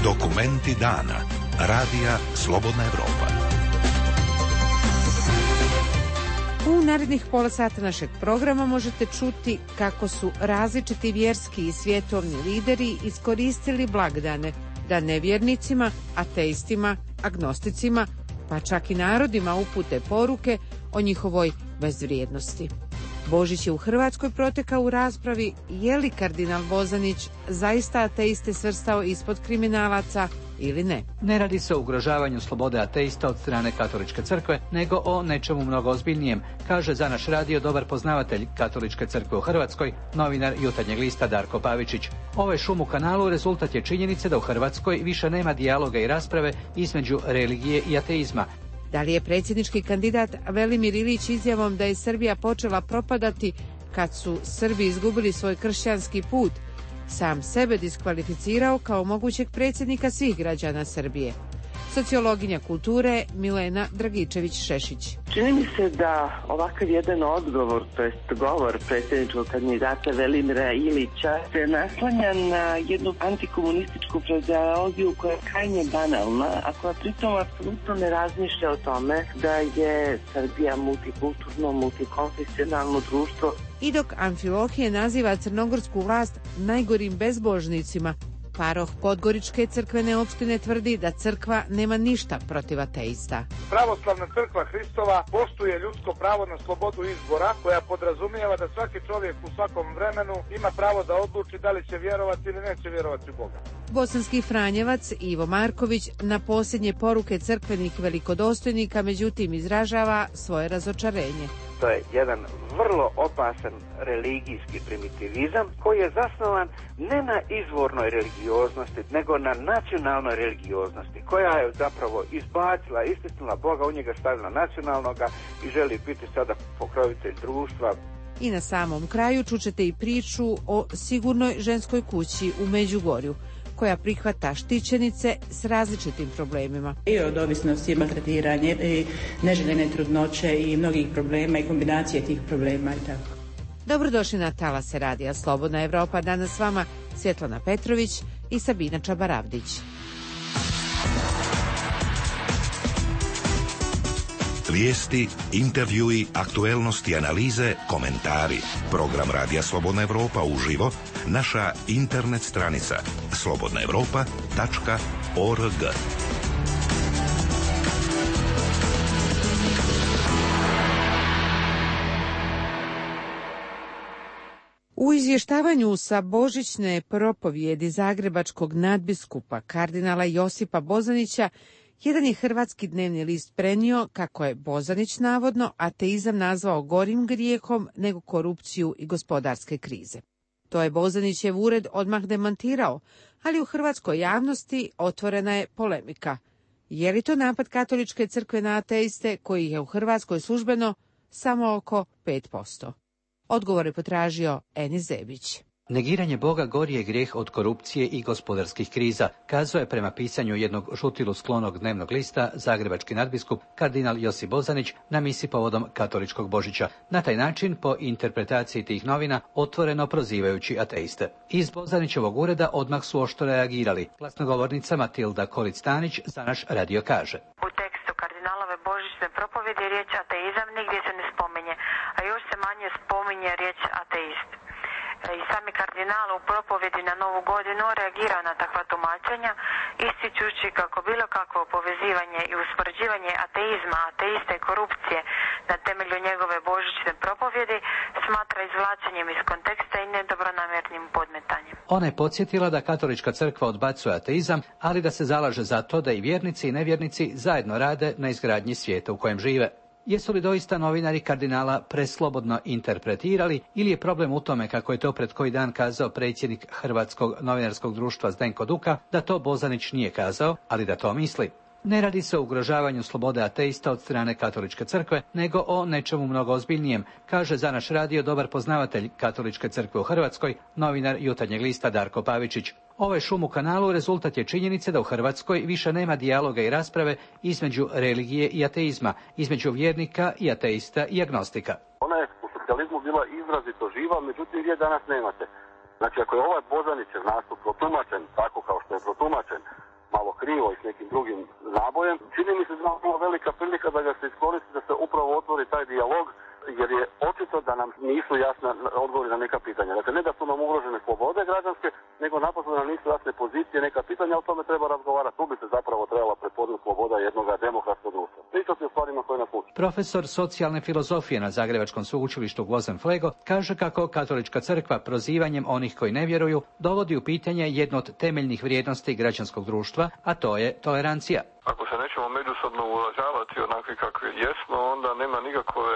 Dokumenti dana. Radija Slobodna Evropa. U narednih pola sata našeg programa možete čuti kako su različiti vjerski i svjetovni lideri iskoristili blagdane da nevjernicima, ateistima, agnosticima, pa čak i narodima upute poruke o njihovoj bezvrijednosti. Božić je u Hrvatskoj protekao u raspravi je li kardinal Bozanić zaista ateiste svrstao ispod kriminalaca ili ne. Ne radi se o ugrožavanju slobode ateista od strane Katoličke crkve, nego o nečemu mnogo ozbiljnijem, kaže za naš radio dobar poznavatelj Katoličke crkve u Hrvatskoj, novinar Jutarnjeg lista Darko Pavičić. Ovaj šum u kanalu rezultat je činjenice da u Hrvatskoj više nema dijaloga i rasprave između religije i ateizma. Da li je predsjednički kandidat Velimir Ilić izjavom da je Srbija počela propadati kad su Srbi izgubili svoj kršćanski put, sam sebe diskvalificirao kao mogućeg predsjednika svih građana Srbije? Sociologinja kulture Milena Dragičević-Šešić. Čini mi se da ovakav jedan odgovor, to jest govor predsjedničkog kandidata Velimira Ilića se naslanja na jednu antikomunističku frazeologiju koja je krajnje banalna, a koja pritom apsolutno ne razmišlja o tome da je Srbija multikulturno, multikonfesionalno društvo. I dok Amfilohije naziva crnogorsku vlast najgorim bezbožnicima, paroh Podgoričke crkvene opštine tvrdi da crkva nema ništa protiv ateista. Pravoslavna crkva Hristova poštuje ljudsko pravo na slobodu izbora, koja podrazumijeva da svaki čovjek u svakom vremenu ima pravo da odluči da li će vjerovati ili neće vjerovati u Boga. Bosanski Franjevac Ivo Marković na posljednje poruke crkvenih velikodostojnika međutim izražava svoje razočarenje. To je jedan vrlo opasan religijski primitivizam koji je zasnovan ne na izvornoj religioznosti, nego na nacionalnoj religioznosti, koja je zapravo izbacila, istisnula Boga, u njega stavila nacionalnoga i želi biti sada pokrovitelj društva. I na samom kraju čućete i priču o sigurnoj ženskoj kući u Međugorju, koja prihvata štićenice s različitim problemima. I od ovisnosti, maltretiranje, i neželjene trudnoće i mnogih problema i kombinacije tih problema i tako. Dobrodošli na Talase radija Slobodna Evropa. Danas s vama Svjetlana Petrović i Sabina Čabaravdić. Vijesti, intervjui, aktuelnosti, analize, komentari. Program Radija Slobodna Evropa uživo, naša internet stranica slobodna evropa tačka org. U izvještavanju sa božićne propovjedi zagrebačkog nadbiskupa kardinala Josipa Bozanića, jedan je hrvatski dnevni list prenio kako je Bozanić navodno ateizam nazvao gorim grijehom nego korupciju i gospodarske krize. To je Bozanićev ured odmah demantirao, ali u hrvatskoj javnosti otvorena je polemika. Je li to napad Katoličke crkve na ateiste, koji je u Hrvatskoj službeno samo oko pet posto? Odgovor je potražio Eni Zebić. Negiranje Boga gori je grijeh od korupcije i gospodarskih kriza, kazao je prema pisanju jednog žutilu sklonog dnevnog lista zagrebački nadbiskup kardinal Josip Bozanić na misi povodom katoličkog Božića. Na taj način, po interpretaciji tih novina, otvoreno prozivajući ateiste. Iz Bozanićevog ureda odmah su oštro reagirali. Glasnogovornica Matilda Kolic-Tanić za naš radio kaže. U tekstu kardinalove božićne propovjedi riječ ateizam nigdje se ne spominje, a još se manje spominje riječ ateist. I sami kardinal u propovjedi na Novu godinu reagirao na takva tumačenja, ističući kako bilo kakvo povezivanje i uspoređivanje ateizma, ateista i korupcije na temelju njegove božićne propovjedi smatra izvlačenjem iz konteksta i nedobronamjernim podmetanjem. Ona je podsjetila da Katolička crkva odbacuje ateizam, ali da se zalaže za to da i vjernici i nevjernici zajedno rade na izgradnji svijeta u kojem žive. Jesu li doista novinari kardinala preslobodno interpretirali ili je problem u tome, kako je to pred koji dan kazao predsjednik Hrvatskog novinarskog društva Zdenko Duka, da to Bozanić nije kazao, ali da to misli? Ne radi se o ugrožavanju slobode ateista od strane Katoličke crkve, nego o nečemu mnogo ozbiljnijem, kaže za naš radio dobar poznavatelj Katoličke crkve u Hrvatskoj, novinar Jutarnjeg lista Darko Pavičić. Ovaj šum u kanalu rezultat je činjenice da u Hrvatskoj više nema dijaloga i rasprave između religije i ateizma, između vjernika i ateista i agnostika. Ona je u socijalizmu bila izrazito živa, međutim vi je danas nemate. Znači, ako je ovaj Bozanićev nastup protumačen tako kao što je protumačen, malo krivo i s nekim drugim nabojem, čini mi se da je velika prilika da ga se iskoristi, da se upravo otvori taj dijalog, jer je očito da nam nisu jasne odgovori na neka pitanja. Dakle, ne da su nam ugrožene slobode građanske, nego naprosto da nam nisu jasne pozicije, neka pitanja, o tome treba razgovarati. Tu bi se zapravo trebala prepoznati sloboda jednog demokratskog društva. Pričati o stvarima koje nas uči. Profesor socijalne filozofije na Zagrebačkom sveučilištu Gvozden Flego kaže kako Katolička crkva prozivanjem onih koji ne vjeruju dovodi u pitanje jednu od temeljnih vrijednosti građanskog društva, a to je tolerancija. Ako se nećemo međusobno uvažavati onakvi kakvi jesmo, onda nema nikakve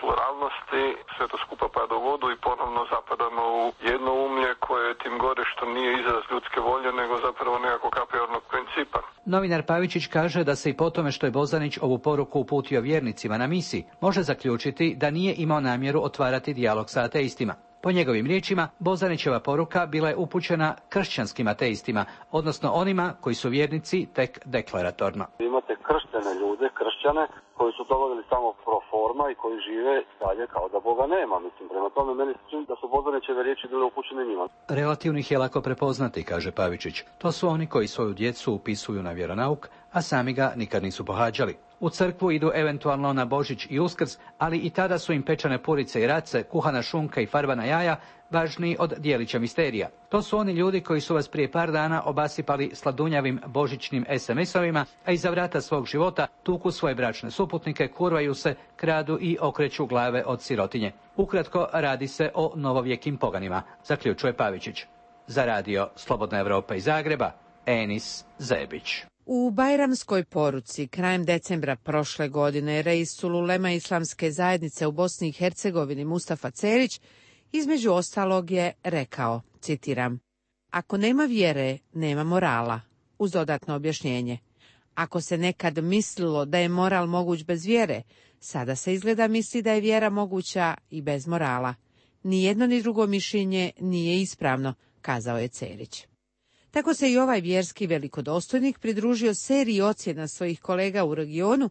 pluralnosti, sve to skupa pada u vodu i ponovno zapadamo u jedno umlje koje tim gore što nije izraz ljudske volje, nego zapravo nekakvog apriornog principa. Novinar Pavičić kaže da se i po tome što je Bozanić ovu poruku uputio vjernicima na misi, može zaključiti da nije imao namjeru otvarati dijalog sa ateistima. Po njegovim riječima, Bozanićeva poruka bila je upućena kršćanskim ateistima, odnosno onima koji su vjernici tek deklaratorno. Imate krštene ljude, kršćane, koji su dovodili samo pro forma i koji žive dalje kao da Boga nema. Mislim, prema tome meni se čini da su Bozanićeve riječi bile upućene njima. Relativno ih je lako prepoznati, kaže Pavičić. To su oni koji svoju djecu upisuju na vjeronauk, a sami ga nikad nisu pohađali. U crkvu idu eventualno na Božić i Uskrs, ali i tada su im pečene purice i race, kuhana šunka i farbana jaja važniji od dijelića misterija. To su oni ljudi koji su vas prije par dana obasipali sladunjavim božićnim es em esovima, a iza vrata svog života tuku svoje bračne suputnike, kurvaju se, kradu i okreću glave od sirotinje. Ukratko, radi se o novovjekim poganima, zaključuje Pavičić. Za radio Slobodna Evropa iz Zagreba, Enis Zebić. U Bajramskoj poruci krajem decembra prošle godine reis ulema islamske zajednice u Bosni i Hercegovini Mustafa Cerić između ostalog je rekao, citiram: "Ako nema vjere, nema morala", uz dodatno objašnjenje. Ako se nekad mislilo da je moral moguć bez vjere, sada se izgleda misli da je vjera moguća i bez morala. Ni jedno ni drugo mišljenje nije ispravno, kazao je Cerić. Tako se i ovaj vjerski velikodostojnik pridružio seriji ocjena svojih kolega u regionu,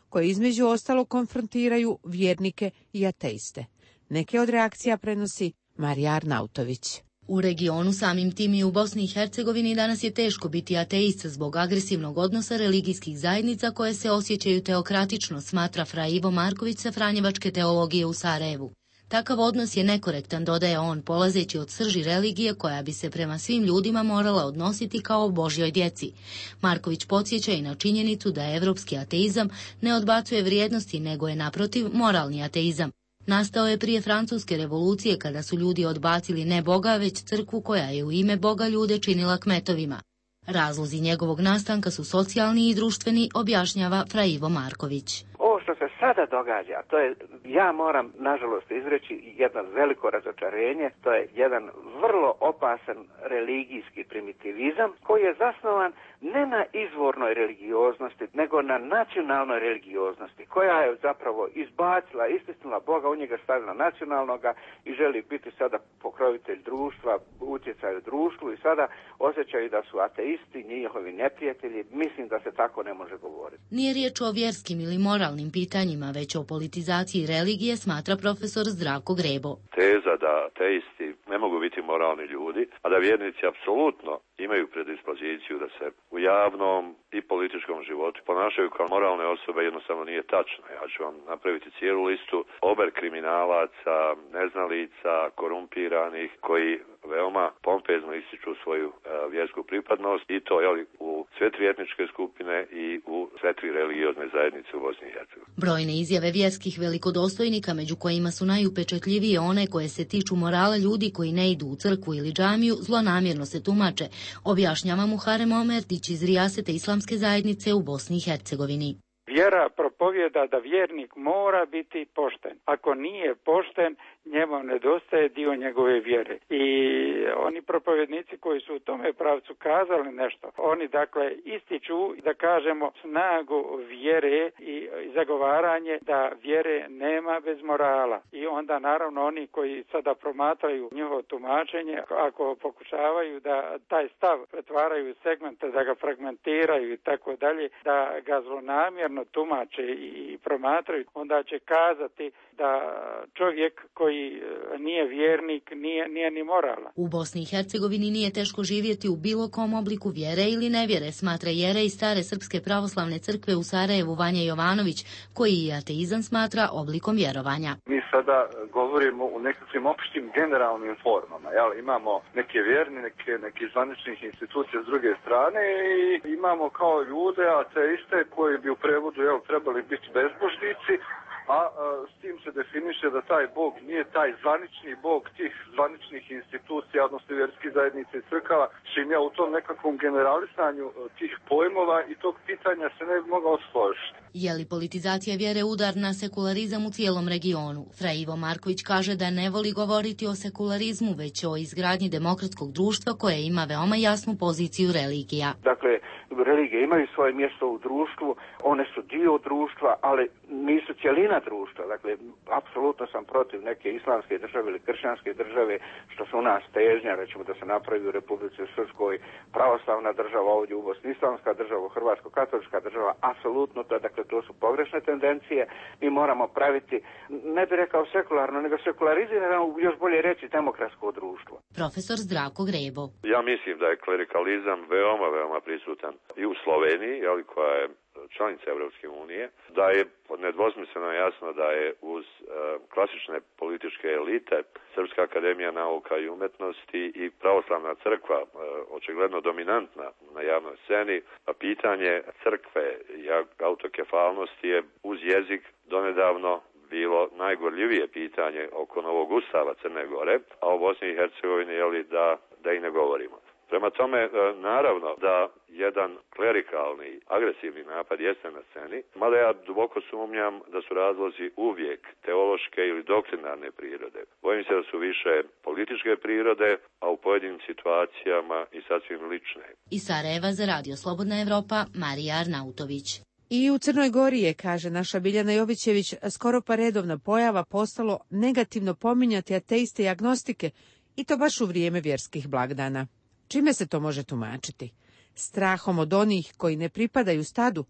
koji između ostalo konfrontiraju vjernike i ateiste. Neke od reakcija prenosi Marija Arnautović. U regionu, samim tim i u Bosni i Hercegovini, danas je teško biti ateist zbog agresivnog odnosa religijskih zajednica koje se osjećaju teokratično, smatra Fra Ivo Marković sa Franjevačke teologije u Sarajevu. Takav odnos je nekorektan, dodaje on, polazeći od srži religije koja bi se prema svim ljudima morala odnositi kao Božjoj djeci. Marković podsjeća i na činjenicu da evropski ateizam ne odbacuje vrijednosti, nego je naprotiv moralni ateizam. Nastao je prije Francuske revolucije kada su ljudi odbacili ne Boga, već crkvu koja je u ime Boga ljude činila kmetovima. Razlozi njegovog nastanka su socijalni i društveni, objašnjava Fra Ivo Marković. Ovo što se sada događa, to je, ja moram nažalost izreći jedno veliko razočarenje, to je jedan vrlo opasan religijski primitivizam koji je zasnovan ne na izvornoj religioznosti, nego na nacionalnoj religioznosti, koja je zapravo izbacila, istisnula Boga, u njega stavila nacionalnoga i želi biti sada pokrovitelj društva, utjecaj u društvu i sada osjećaju da su ateisti, njihovi neprijatelji. Mislim da se tako ne može govoriti. Nije riječ o vjerskim ili moralnim pitanjima, već o politizaciji religije, smatra profesor Zdravko Grebo. Teza da ateisti ne mogu biti moralni ljudi, a da vjernici apsolutno imaju predispoziciju da se u javnom i političkom životu ponašaju kao moralne osobe, jednostavno nije tačno. Ja ću vam napraviti cijelu listu ober kriminalaca, neznalica, korumpiranih, koji veoma pompezno ističu svoju e, vjersku pripadnost i to je u sve tri etničke skupine i u sve tri religiozne zajednice u Bosni i Hercegovini. Brojne izjave vjerskih velikodostojnika, među kojima su najupečatljivije one koje se tiču morala ljudi koji ne idu u crkvu ili džamiju, zlonamjerno se tumače, objašnjava Muharem Omertić iz Rijasete islamske zajednice u Bosni i Hercegovini. Vjera propovjeda da vjernik mora biti pošten. Ako nije pošten, njemu nedostaje dio njegove vjere. I oni propovjednici koji su u tome pravcu kazali nešto, oni dakle ističu, da kažemo, snagu vjere i zagovaranje da vjere nema bez morala. I onda naravno oni koji sada promatraju njihovo tumačenje, ako pokušavaju da taj stav pretvaraju u segmente, da ga fragmentiraju i tako dalje, da ga zlonamjerno tumače i promatraju, onda će kazati da čovjek koji koji nije vjernik, nije, nije ni moralan. U Bosni i Hercegovini nije teško živjeti u bilo kom obliku vjere ili nevjere, smatra jerej stare Srpske pravoslavne crkve u Sarajevu Vanja Jovanović, koji i ateizam smatra oblikom vjerovanja. Mi sada govorimo u nekakvim opštim generalnim formama. Jel? Imamo neke vjerne, neke, neke zvaničnih institucija s druge strane i imamo kao ljude, ateiste koji bi u prevodu jel, trebali biti bezbožnici, a, a s tim se definiše da taj Bog nije taj zvanični Bog tih zvaničnih institucija, odnosno vjerskih zajednica i crkava, čim ja u tom nekakvom generalisanju tih pojmova i tog pitanja se ne bi mogao složiti. Je li politizacija vjere udar na sekularizam u cijelom regionu? Fra Ivo Marković kaže da ne voli govoriti o sekularizmu, već o izgradnji demokratskog društva koje ima veoma jasnu poziciju religija. Dakle, religije imaju svoje mjesto u društvu, one su dio društva, ali nisu cjelina društva. Dakle, apsolutno sam protiv neke islamske države ili kršćanske države, što su u nas težnja, recimo da se napravi u Republici Srpskoj pravoslavna država, ovdje u Bosni islamska država, hrvatsko-katolička država, apsolutno to, dakle, to su pogrešne tendencije. Mi moramo praviti, ne bih rekao sekularno, nego sekularizirano, još bolje reći demokratsko društvo. Profesor Zdravko Grebo. Ja mislim da je klerikalizam veoma, veoma prisutan i u Sloveniji, jeli, koja je članica Evropske unije, da je nedvosmisleno jasno da je uz uh, klasične političke elite Srpska akademija nauka i umetnosti i pravoslavna crkva uh, očigledno dominantna na javnoj sceni, a pitanje crkve i autokefalnosti je uz jezik donedavno bilo najgorljivije pitanje oko novog ustava Crne Gore, a o Bosni i Hercegovini jeli, da, da i ne govorimo. Prema tome, naravno da jedan klerikalni, agresivni napad jeste na sceni, mada ja duboko sumnjam da su razlozi uvijek teološke ili doktrinarne prirode. Bojim se da su više političke prirode, a u pojedinim situacijama i sasvim lične. Iz Sarajeva za Radio Slobodna Evropa, Marija Arnautović. I u Crnoj Gori je, kaže naša Biljana Jovićević, skoro pa redovna pojava postalo negativno pominjati ateiste i agnostike, i to baš u vrijeme vjerskih blagdana. Čime se to može tumačiti? Strahom od onih koji ne pripadaju stadu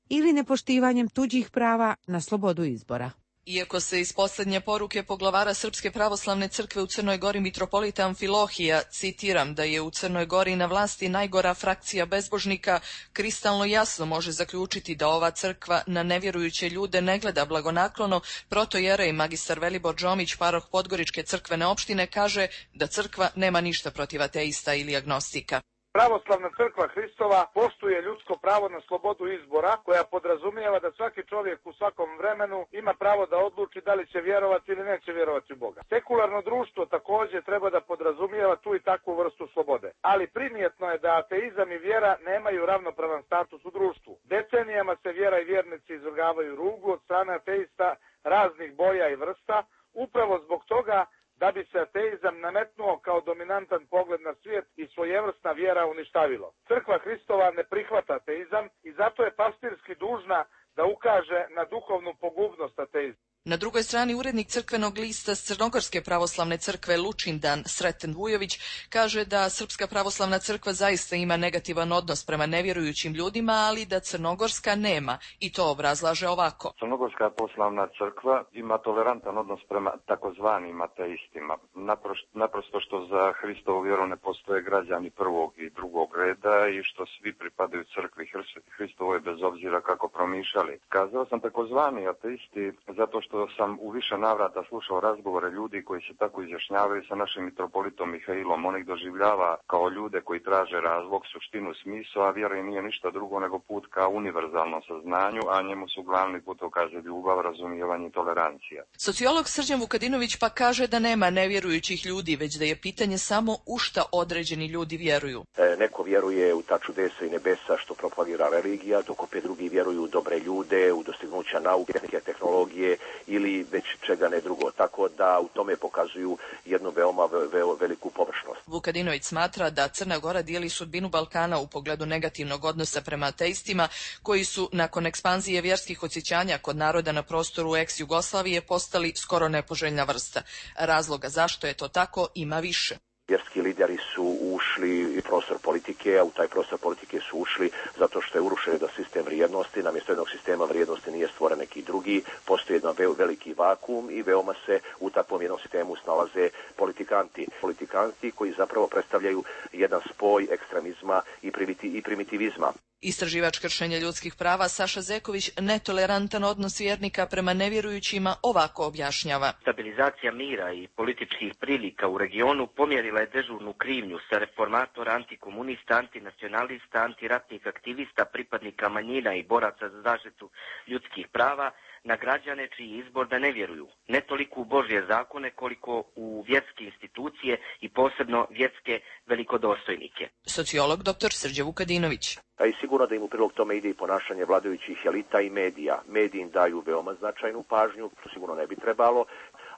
ili nepoštivanjem tuđih prava na slobodu izbora? Iako se iz posljednje poruke poglavara Srpske pravoslavne crkve u Crnoj Gori mitropolita Amfilohija, citiram, da je u Crnoj Gori na vlasti najgora frakcija bezbožnika, kristalno jasno može zaključiti da ova crkva na nevjerujuće ljude ne gleda blagonaklono, protojerej magistar Velibor Džomić, paroh Podgoričke crkvene opštine, kaže da crkva nema ništa protiv ateista ili agnostika. Pravoslavna crkva Hristova poštuje ljudsko pravo na slobodu izbora, koja podrazumijeva da svaki čovjek u svakom vremenu ima pravo da odluči da li će vjerovati ili neće vjerovati u Boga. Sekularno društvo također treba da podrazumijeva tu i takvu vrstu slobode. Ali primjetno je da ateizam i vjera nemaju ravnopravan status u društvu. Decenijama se vjera i vjernici izvrgavaju rugu od strane ateista raznih boja i vrsta, upravo zbog toga da bi se ateizam nametnuo kao dominantan pogled na svijet i svojevrsna vjera uništavilo. Crkva Hristova ne prihvata ateizam i zato je pastirski dužna da ukaže na duhovnu pogubnost ateizma. Na drugoj strani urednik crkvenog lista s Crnogorske pravoslavne crkve Lučindan Sreten Vujović kaže da Srpska pravoslavna crkva zaista ima negativan odnos prema nevjerujućim ljudima, ali da Crnogorska nema, i to obrazlaže ovako. Crnogorska pravoslavna crkva ima tolerantan odnos prema takozvanim ateistima. Naprosto, naprosto što za Hristovu vjeru ne postoje građani prvog i drugog reda i što svi pripadaju crkvi Hristovoj bez obzira kako promišljali. Kazao sam takozvani ateisti zato što što sam u više navrata slušao razgovore ljudi koji se tako izjašnjavaju sa našim mitropolitom Mihailom. On ih doživljava kao ljude koji traže razlog, suštinu, smisao, a vjera im nije ništa drugo nego put ka univerzalnom saznanju, a njemu su glavni put, kaže, ljubav, razumijevanje i tolerancija. Sociolog Srđan Vukadinović pa kaže da nema nevjerujućih ljudi, već da je pitanje samo u šta određeni ljudi vjeruju. E, neko vjeruje u ta čudesa i nebesa što propagira religija, dok opet drugi vjeruju u dobre ljude, u dostignuća nauke, tehnologije ili već čega ne drugo. Tako da u tome pokazuju jednu veoma ve, veliku površnost. Vukadinović smatra da Crna Gora dijeli sudbinu Balkana u pogledu negativnog odnosa prema ateistima, koji su nakon ekspanzije vjerskih osjećanja kod naroda na prostoru ex-Jugoslavije postali skoro nepoželjna vrsta. Razloga zašto je to tako ima više. Vjerski lideri su ušli u prostor politike, a u taj prostor politike su ušli zato što je urušen jedan sistem vrijednosti, namjesto jednog sistema vrijednosti nije stvoren neki drugi, postoji jedan veliki vakuum i veoma se u takvom jednom sistemu snalaze politikanti. Politikanti koji zapravo predstavljaju jedan spoj ekstremizma i, primiti, i primitivizma. Istraživač kršenja ljudskih prava Saša Zeković netolerantan odnos vjernika prema nevjerujućima ovako objašnjava. Stabilizacija mira i političkih prilika u regionu pomjerila je dežurnu krivnju sa reformatora, antikomunista, antinacionalista, antiratnih aktivista, pripadnika manjina i boraca za zaštitu ljudskih prava na građane čiji izbor da ne vjeruju. Ne toliko u Božje zakone koliko u vjerske institucije i posebno vjerske velikodostojnike. Sociolog dr Srđe Vukadinović. A i sigurno da im u prilog tome ide i ponašanje vladajućih elita i medija. Mediji im daju veoma značajnu pažnju, to sigurno ne bi trebalo,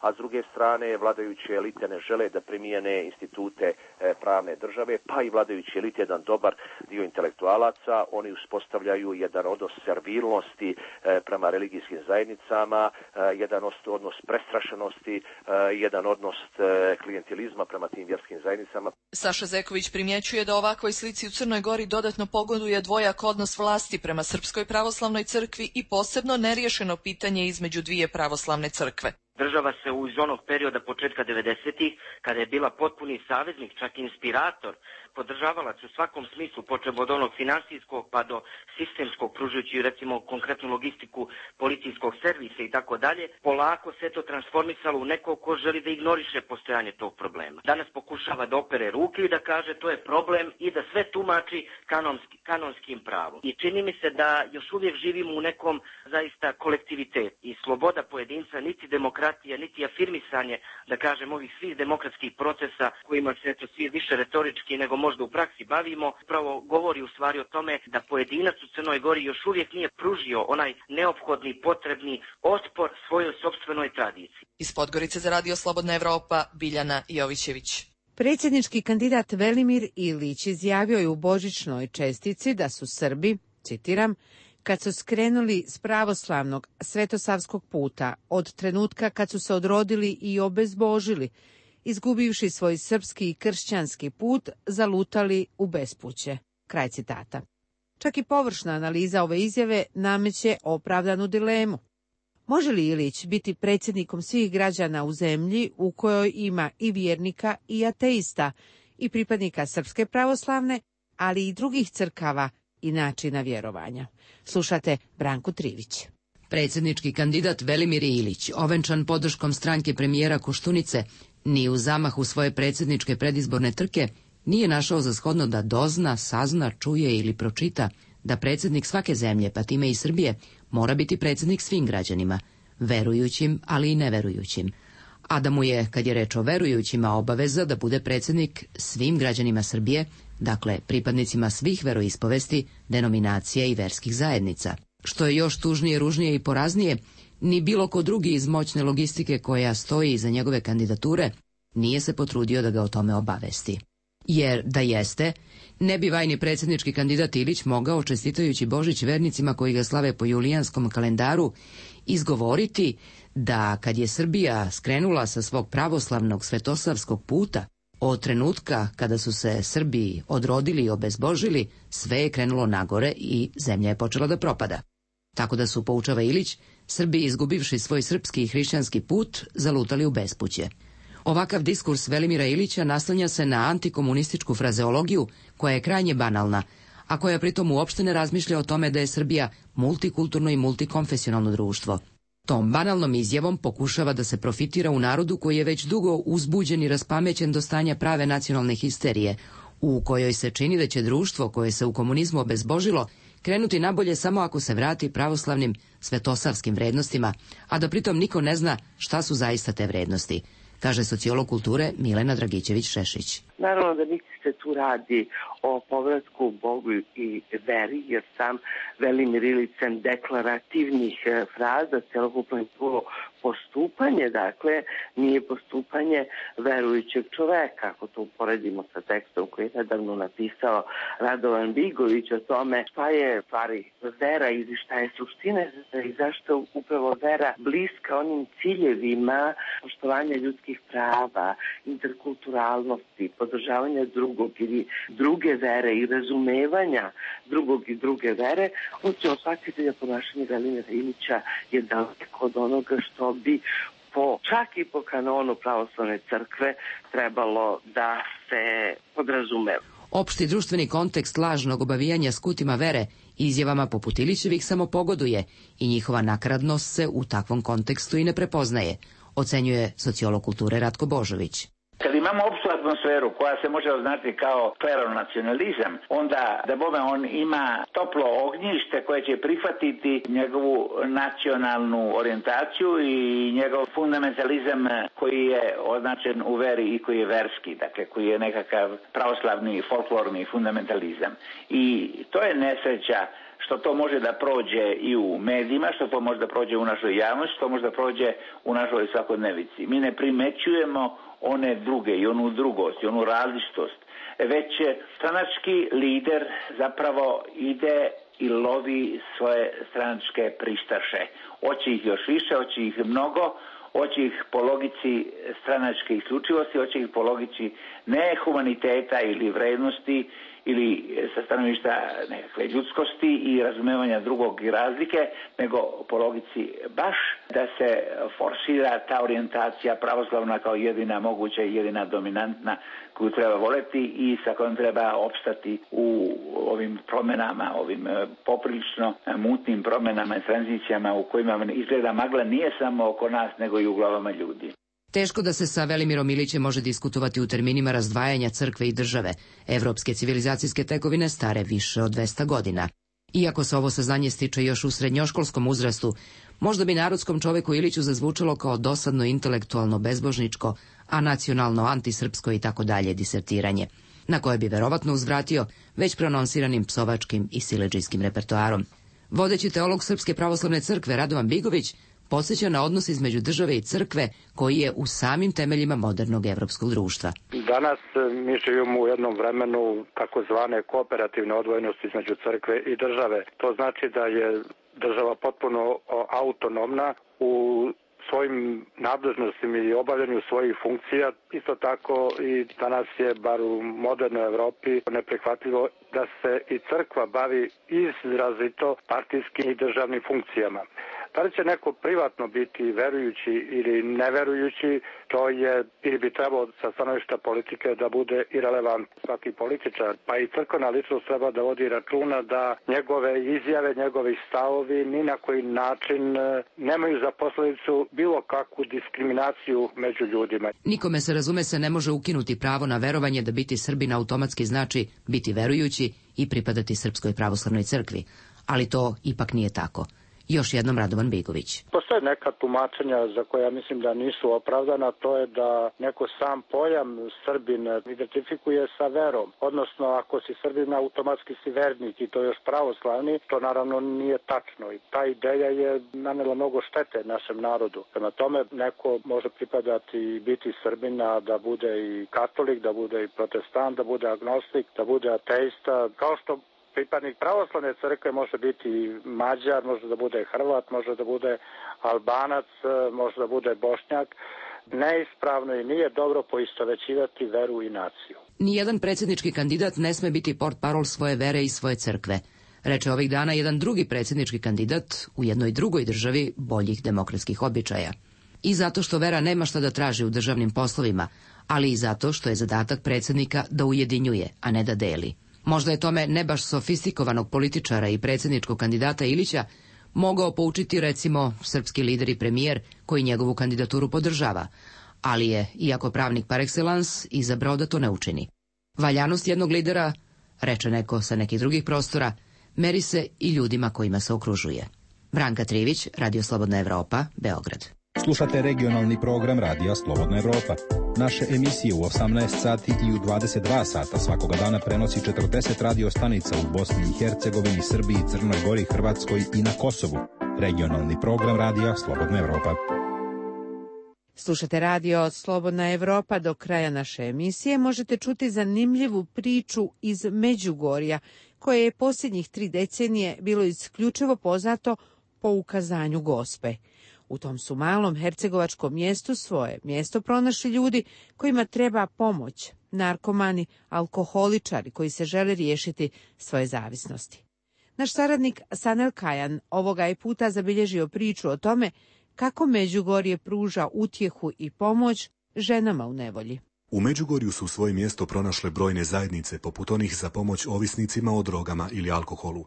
a s druge strane vladajuće elite ne žele da primijene institute pravne države, pa i vladajući elite, jedan dobar dio intelektualaca, oni uspostavljaju jedan odnos servilnosti prema religijskim zajednicama, jedan odnos prestrašenosti, jedan odnos klijentelizma prema tim vjerskim zajednicama. Saša Zeković primjećuje da ovakvoj slici u Crnoj Gori dodatno pogoduje dvojak odnos vlasti prema Srpskoj pravoslavnoj crkvi i posebno neriješeno pitanje između dvije pravoslavne crkve. Država se iz onog perioda početka devedesetih, kada je bila potpuni saveznik, čak inspirator, podržavalac u svakom smislu, počev od onog finansijskog pa do sistemskog, pružujući recimo konkretnu logistiku policijskog servisa i tako dalje, polako se to transformisalo u neko ko želi da ignoriše postojanje tog problema. Danas pokušava da opere ruke i da kaže to je problem i da sve tumači kanonski, kanonskim pravom. I čini mi se da još uvijek živimo u nekom zaista kolektivitetu i sloboda pojedinca, niti demokratija, niti afirmisanje, da kažem, ovih svih demokratskih procesa kojima se eto svi više retorički nego možda u praksi bavimo, upravo govori u stvari o tome da pojedinac u Crnoj Gori još uvijek nije pružio onaj neophodni, potrebni otpor svojoj sopstvenoj tradiciji. Iz Podgorice za Radio Slobodna Evropa, Biljana Jovićević. Predsjednički kandidat Velimir Ilić izjavio je u božićnoj čestici da su Srbi, citiram, kad su skrenuli s pravoslavnog svetosavskog puta od trenutka kad su se odrodili i obezbožili, izgubivši svoj srpski i kršćanski put, zalutali u bespuće. Kraj citata. Čak i površna analiza ove izjave nameće opravdanu dilemu. Može li Ilić biti predsjednikom svih građana u zemlji u kojoj ima i vjernika i ateista i pripadnika Srpske pravoslavne, ali i drugih crkava i načina vjerovanja? Slušate Branku Trivić. Predsjednički kandidat Velimir Ilić, ovenčan podrškom stranke premijera Koštunice, ni u zamahu svoje predsjedničke predizborne trke nije našao za shodno da dozna, sazna, čuje ili pročita da predsjednik svake zemlje, pa time i Srbije, mora biti predsjednik svim građanima, verujućim, ali i neverujućim. A da mu je, kad je reč o verujućima, obaveza da bude predsjednik svim građanima Srbije, dakle pripadnicima svih veroispovesti, denominacija i verskih zajednica. Što je još tužnije, ružnije i poraznije, ni bilo ko drugi iz moćne logistike koja stoji iza njegove kandidature nije se potrudio da ga o tome obavesti. Jer da jeste, ne bi vajni predsjednički kandidat Ilić mogao, čestitajući Božić vernicima koji ga slave po julijanskom kalendaru, izgovoriti da kad je Srbija skrenula sa svog pravoslavnog svetosavskog puta, od trenutka kada su se Srbi odrodili i obezbožili, sve je krenulo nagore i zemlja je počela da propada. Tako da su, poučava Ilić, Srbi, izgubivši svoj srpski i hrišćanski put, zalutali u bespuće. Ovakav diskurs Velimira Ilića naslanja se na antikomunističku frazeologiju koja je krajnje banalna, a koja pritom uopšte ne razmišlja o tome da je Srbija multikulturno i multikonfesionalno društvo. Tom banalnom izjavom pokušava da se profitira u narodu koji je već dugo uzbuđen i raspamećen do stanja prave nacionalne histerije, u kojoj se čini da će društvo koje se u komunizmu obezbožilo krenuti nabolje samo ako se vrati pravoslavnim svetosavskim vrednostima, a da pritom niko ne zna šta su zaista te vrednosti, kaže sociolog kulture Milena Dragićević-Šešić. Naravno da niti se tu radi o povratku Bogu i veri, jer sam Velimir Ilić sem deklarativnih fraza celokupno postupanje, dakle, nije postupanje verujućeg čoveka, ako to uporedimo sa tekstom koji je nedavno napisao Radovan Bigović o tome šta je stvari vera i šta je suština i zašto upravo vera bliska onim ciljevima poštovanja ljudskih prava, interkulturalnosti, podržavanja drugog ili druge vere i razumevanja drugog i druge vere, on će osvatiti da ponašanje Velimira Ilića je daleko od onoga što bi po, čak i po kanonu pravoslavne crkve trebalo da se podrazumeva. Opšti društveni kontekst lažnog obavijanja skutima vere izjavama poput Ilićevih samo pogoduje i njihova nakaradnost se u takvom kontekstu i ne prepoznaje, ocenjuje sociolog kulture Ratko Božović. Kad imamo opštu atmosferu koja se može označiti kao kleronacionalizam, onda da bome on ima toplo ognjište koje će prihvatiti njegovu nacionalnu orijentaciju i njegov fundamentalizam koji je označen u veri i koji je verski, dakle koji je nekakav pravoslavni, folklorni fundamentalizam. I to je nesreća što to može da prođe i u medijima, što to može da prođe u našoj javnosti, što može da prođe u našoj svakodnevici. Mi ne primećujemo one druge i onu drugost i onu različitost, već stranački lider zapravo ide i lovi svoje stranačke pristaše. Hoće ih još više, hoće ih mnogo, hoće ih po logici stranačke isključivosti, hoće ih po logici ne humaniteta ili vrednosti ili sa stanovišta nekakve ljudskosti i razumevanja drugog i razlike, nego po logici baš da se forsira ta orijentacija pravoslavna kao jedina moguća i jedina dominantna koju treba voleti i sa kojom treba opstati u ovim promjenama, ovim poprilično mutnim promjenama i tranzicijama u kojima izgleda magla nije samo oko nas nego i u glavama ljudi. Teško da se sa Velimirom Ilićem može diskutovati u terminima razdvajanja crkve i države. Evropske civilizacijske tekovine stare više od dvesta godina. Iako se ovo saznanje stiče još u srednjoškolskom uzrastu, možda bi narodskom čoveku Iliću zazvučalo kao dosadno intelektualno bezbožničko, a nacionalno antisrpsko i tako dalje disertiranje, na koje bi verovatno uzvratio već prononsiranim psovačkim i siledžijskim repertoarom. Vodeći teolog Srpske pravoslavne crkve Radovan Bigović podsjeća na odnos između države i crkve koji je u samim temeljima modernog evropskog društva. Danas mi živimo u jednom vremenu takozvane kooperativne odvojenosti između crkve i države. To znači da je država potpuno autonomna u svojim nadležnostima i obavljanju svojih funkcija. Isto tako i danas je, bar u modernoj Evropi, neprihvatljivo da se i crkva bavi izrazito partijskim i državnim funkcijama. Da li će neko privatno biti verujući ili neverujući, to je ili bi trebalo sa stanovišta politike da bude irelevant. Svaki političar, pa i crkvena ličnost treba da vodi računa da njegove izjave, njegovi stavovi ni na koji način nemaju za posledicu bilo kakvu diskriminaciju među ljudima. Nikome se razume se ne može ukinuti pravo na verovanje da biti Srbin automatski znači biti verujući i pripadati Srpskoj pravoslavnoj crkvi, ali to ipak nije tako. Još jednom Radovan Bigović. Postoje neka tumačenja za koja ja mislim da nisu opravdana, to je da neko sam pojam Srbin identifikuje sa verom. Odnosno, ako si Srbin, automatski si vernik i to još pravoslavni, to naravno nije tačno. I ta ideja je nanela mnogo štete našem narodu. Prema tome, neko može pripadati i biti Srbin, a da bude i katolik, da bude i protestant, da bude agnostik, da bude ateista, kao što pripadnik pravoslavne crkve može biti Mađar, može da bude Hrvat, može da bude Albanac, može da bude Bošnjak. Neispravno i nije dobro poistovećivati veru i naciju. Nijedan predsjednički kandidat ne sme biti portparol svoje vere i svoje crkve, reče ovih dana jedan drugi predsjednički kandidat u jednoj drugoj državi boljih demokratskih običaja. I zato što vera nema šta da traži u državnim poslovima, ali i zato što je zadatak predsjednika da ujedinjuje, a ne da deli. Možda je tome ne baš sofistikovanog političara i predsjedničkog kandidata Ilića mogao poučiti recimo srpski lider i premijer koji njegovu kandidaturu podržava, ali je, iako pravnik par excellence, izabrao da to ne učini. Valjanost jednog lidera, reče neko sa nekih drugih prostora, meri se i ljudima kojima se okružuje. Branka Trivić, Radio Slobodna Evropa, Beograd. Slušate regionalni program Radija Slobodna Evropa. Naše emisije u osamnaest sati i u dvadeset dva sata svakoga dana prenosi četrdeset radio stanica u Bosni i Hercegovini, Srbiji, Crnoj Gori, Hrvatskoj i na Kosovu. Regionalni program Radija Slobodna Evropa. Slušate radio Slobodna Evropa. Do kraja naše emisije možete čuti zanimljivu priču iz Međugorja, koje je posljednjih tri decenije bilo isključivo poznato po ukazanju Gospe. U tom su malom hercegovačkom mjestu svoje mjesto pronašli ljudi kojima treba pomoć, narkomani, alkoholičari koji se žele riješiti svoje zavisnosti. Naš saradnik Sanel Kajan ovoga je puta zabilježio priču o tome kako Međugorje pruža utjehu i pomoć ženama u nevolji. U Međugorju su svoje mjesto pronašle brojne zajednice, poput onih za pomoć ovisnicima o drogama ili alkoholu.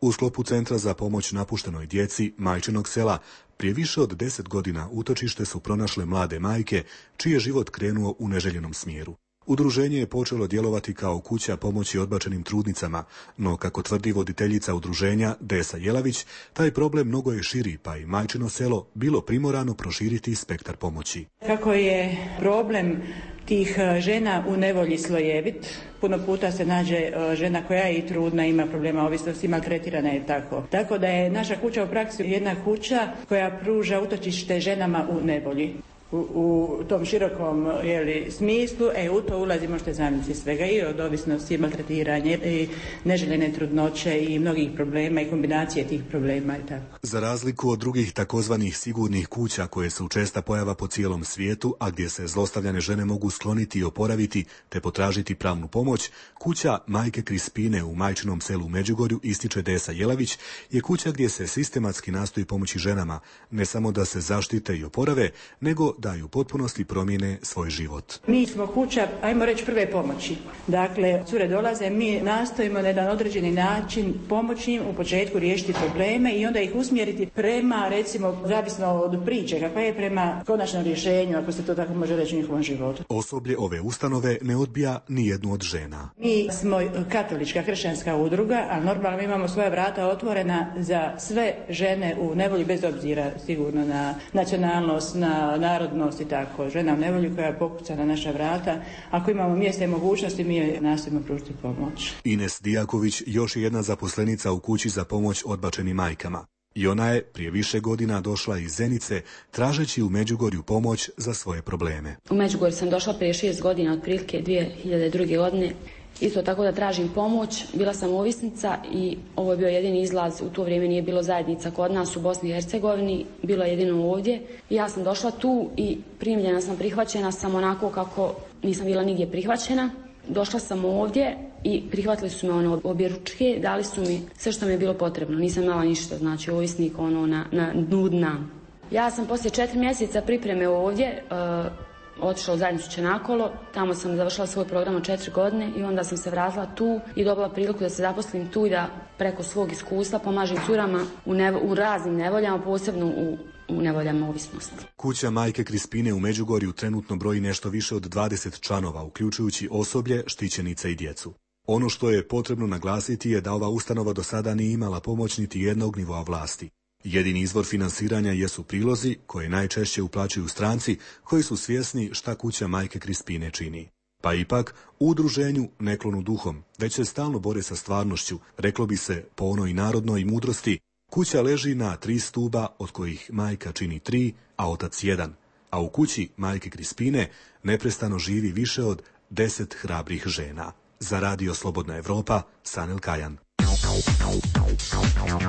U sklopu Centra za pomoć napuštenoj djeci Majčinog sela prije više od deset godina utočište su pronašle mlade majke čiji je život krenuo u neželjenom smjeru. Udruženje je počelo djelovati kao kuća pomoći odbačenim trudnicama, no kako tvrdi voditeljica udruženja Desa Jelavić, taj problem mnogo je širi, pa i Majčino selo bilo primorano proširiti spektar pomoći. Kako je problem tih žena u nevolji slojevit, puno puta se nađe žena koja je i trudna, ima problema ovisnosti, maltretirana je tako. Tako da je naša kuća u praksi jedna kuća koja pruža utočište ženama u nevolji. U, u tom širokom jeli, smislu, e, u to ulazi, možete zamisliti svega, i od ovisnosti, maltretiranje, i neželjene trudnoće i mnogih problema i kombinacije tih problema i tako. Za razliku od drugih takozvanih sigurnih kuća koje su česta pojava po cijelom svijetu, a gdje se zlostavljane žene mogu skloniti i oporaviti te potražiti pravnu pomoć, kuća Majke Krispine u Majčinom selu u Međugorju, ističe Desa Jelavić, je kuća gdje se sistematski nastoji pomoći ženama, ne samo da se zaštite i oporave, nego da i u potpunosti promijene svoj život. Mi smo kuća, ajmo reći, prve pomoći. Dakle, cure dolaze, mi nastojimo na jedan određeni način pomoći im u početku riješiti probleme i onda ih usmjeriti prema, recimo, zavisno od priče, kakva je, prema konačnom rješenju, ako se to tako može reći, u njihovom životu. Osoblje ove ustanove ne odbija ni jednu od žena. Mi smo katolička kršćanska udruga, a normalno imamo svoja vrata otvorena za sve žene u nevolji, bez obzira sigurno na nacionalnost, na narod i tako. Žena u nevolji koja pokuca na naša vrata. Ako imamo mjesta i mogućnosti, mi joj nastojimo pružiti pomoć. Ines Dijaković još je jedna zaposlenica u kući za pomoć odbačenim majkama. I ona je prije više godina došla iz Zenice tražeći u Međugorju pomoć za svoje probleme. U Međugorju sam došla prije šest godina, otprilike dvije hiljade druge. godine. Isto tako da tražim pomoć, bila sam ovisnica i ovo je bio jedini izlaz, u to vrijeme nije bilo zajednica kod nas u Bosni i Hercegovini, bilo je jedino ovdje. I ja sam došla tu i primljena sam, prihvaćena sam onako kako nisam bila nigdje prihvaćena. Došla sam ovdje i prihvatili su me ono objeručke, dali su mi sve što mi je bilo potrebno, nisam imala ništa, znači ovisnik ono na, na dnu dna. Ja sam poslije četiri mjeseca pripreme ovdje uh, otišla u zajednicu Čenakolo, tamo sam završila svoj program od četiri godine i onda sam se vratila tu i dobila priliku da se zaposlim tu i da preko svog iskustva pomažem curama u, nevo, u raznim nevoljama, posebno u, u nevoljama ovisnosti. Kuća Majke Krispine u Međugorju trenutno broji nešto više od dvadeset članova, uključujući osoblje, štićenice i djecu. Ono što je potrebno naglasiti je da ova ustanova do sada nije imala pomoć niti jednog nivoa vlasti. Jedini izvor finansiranja jesu prilozi koje najčešće uplaćuju stranci koji su svjesni šta kuća Majke Krispine čini. Pa ipak, u udruženju ne klonu duhom, već se stalno bore sa stvarnošću, reklo bi se po onoj narodnoj mudrosti, kuća leži na tri stuba od kojih majka čini tri, a otac jedan, a u kući Majke Krispine neprestano živi više od deset hrabrih žena. Za Radio Slobodna Evropa, Sanel Kajan.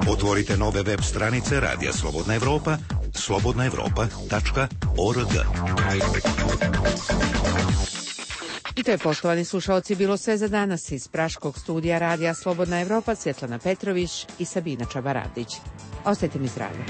Otvorite nove web stranice Radija Slobodna Evropa, slobodna evropa tačka org. I to je, poštovani slušalci, bilo sve za danas iz praškog studija Radija Slobodna Evropa, Svjetlana Petrović i Sabina Čabaradić. Ostajte mi zdravi.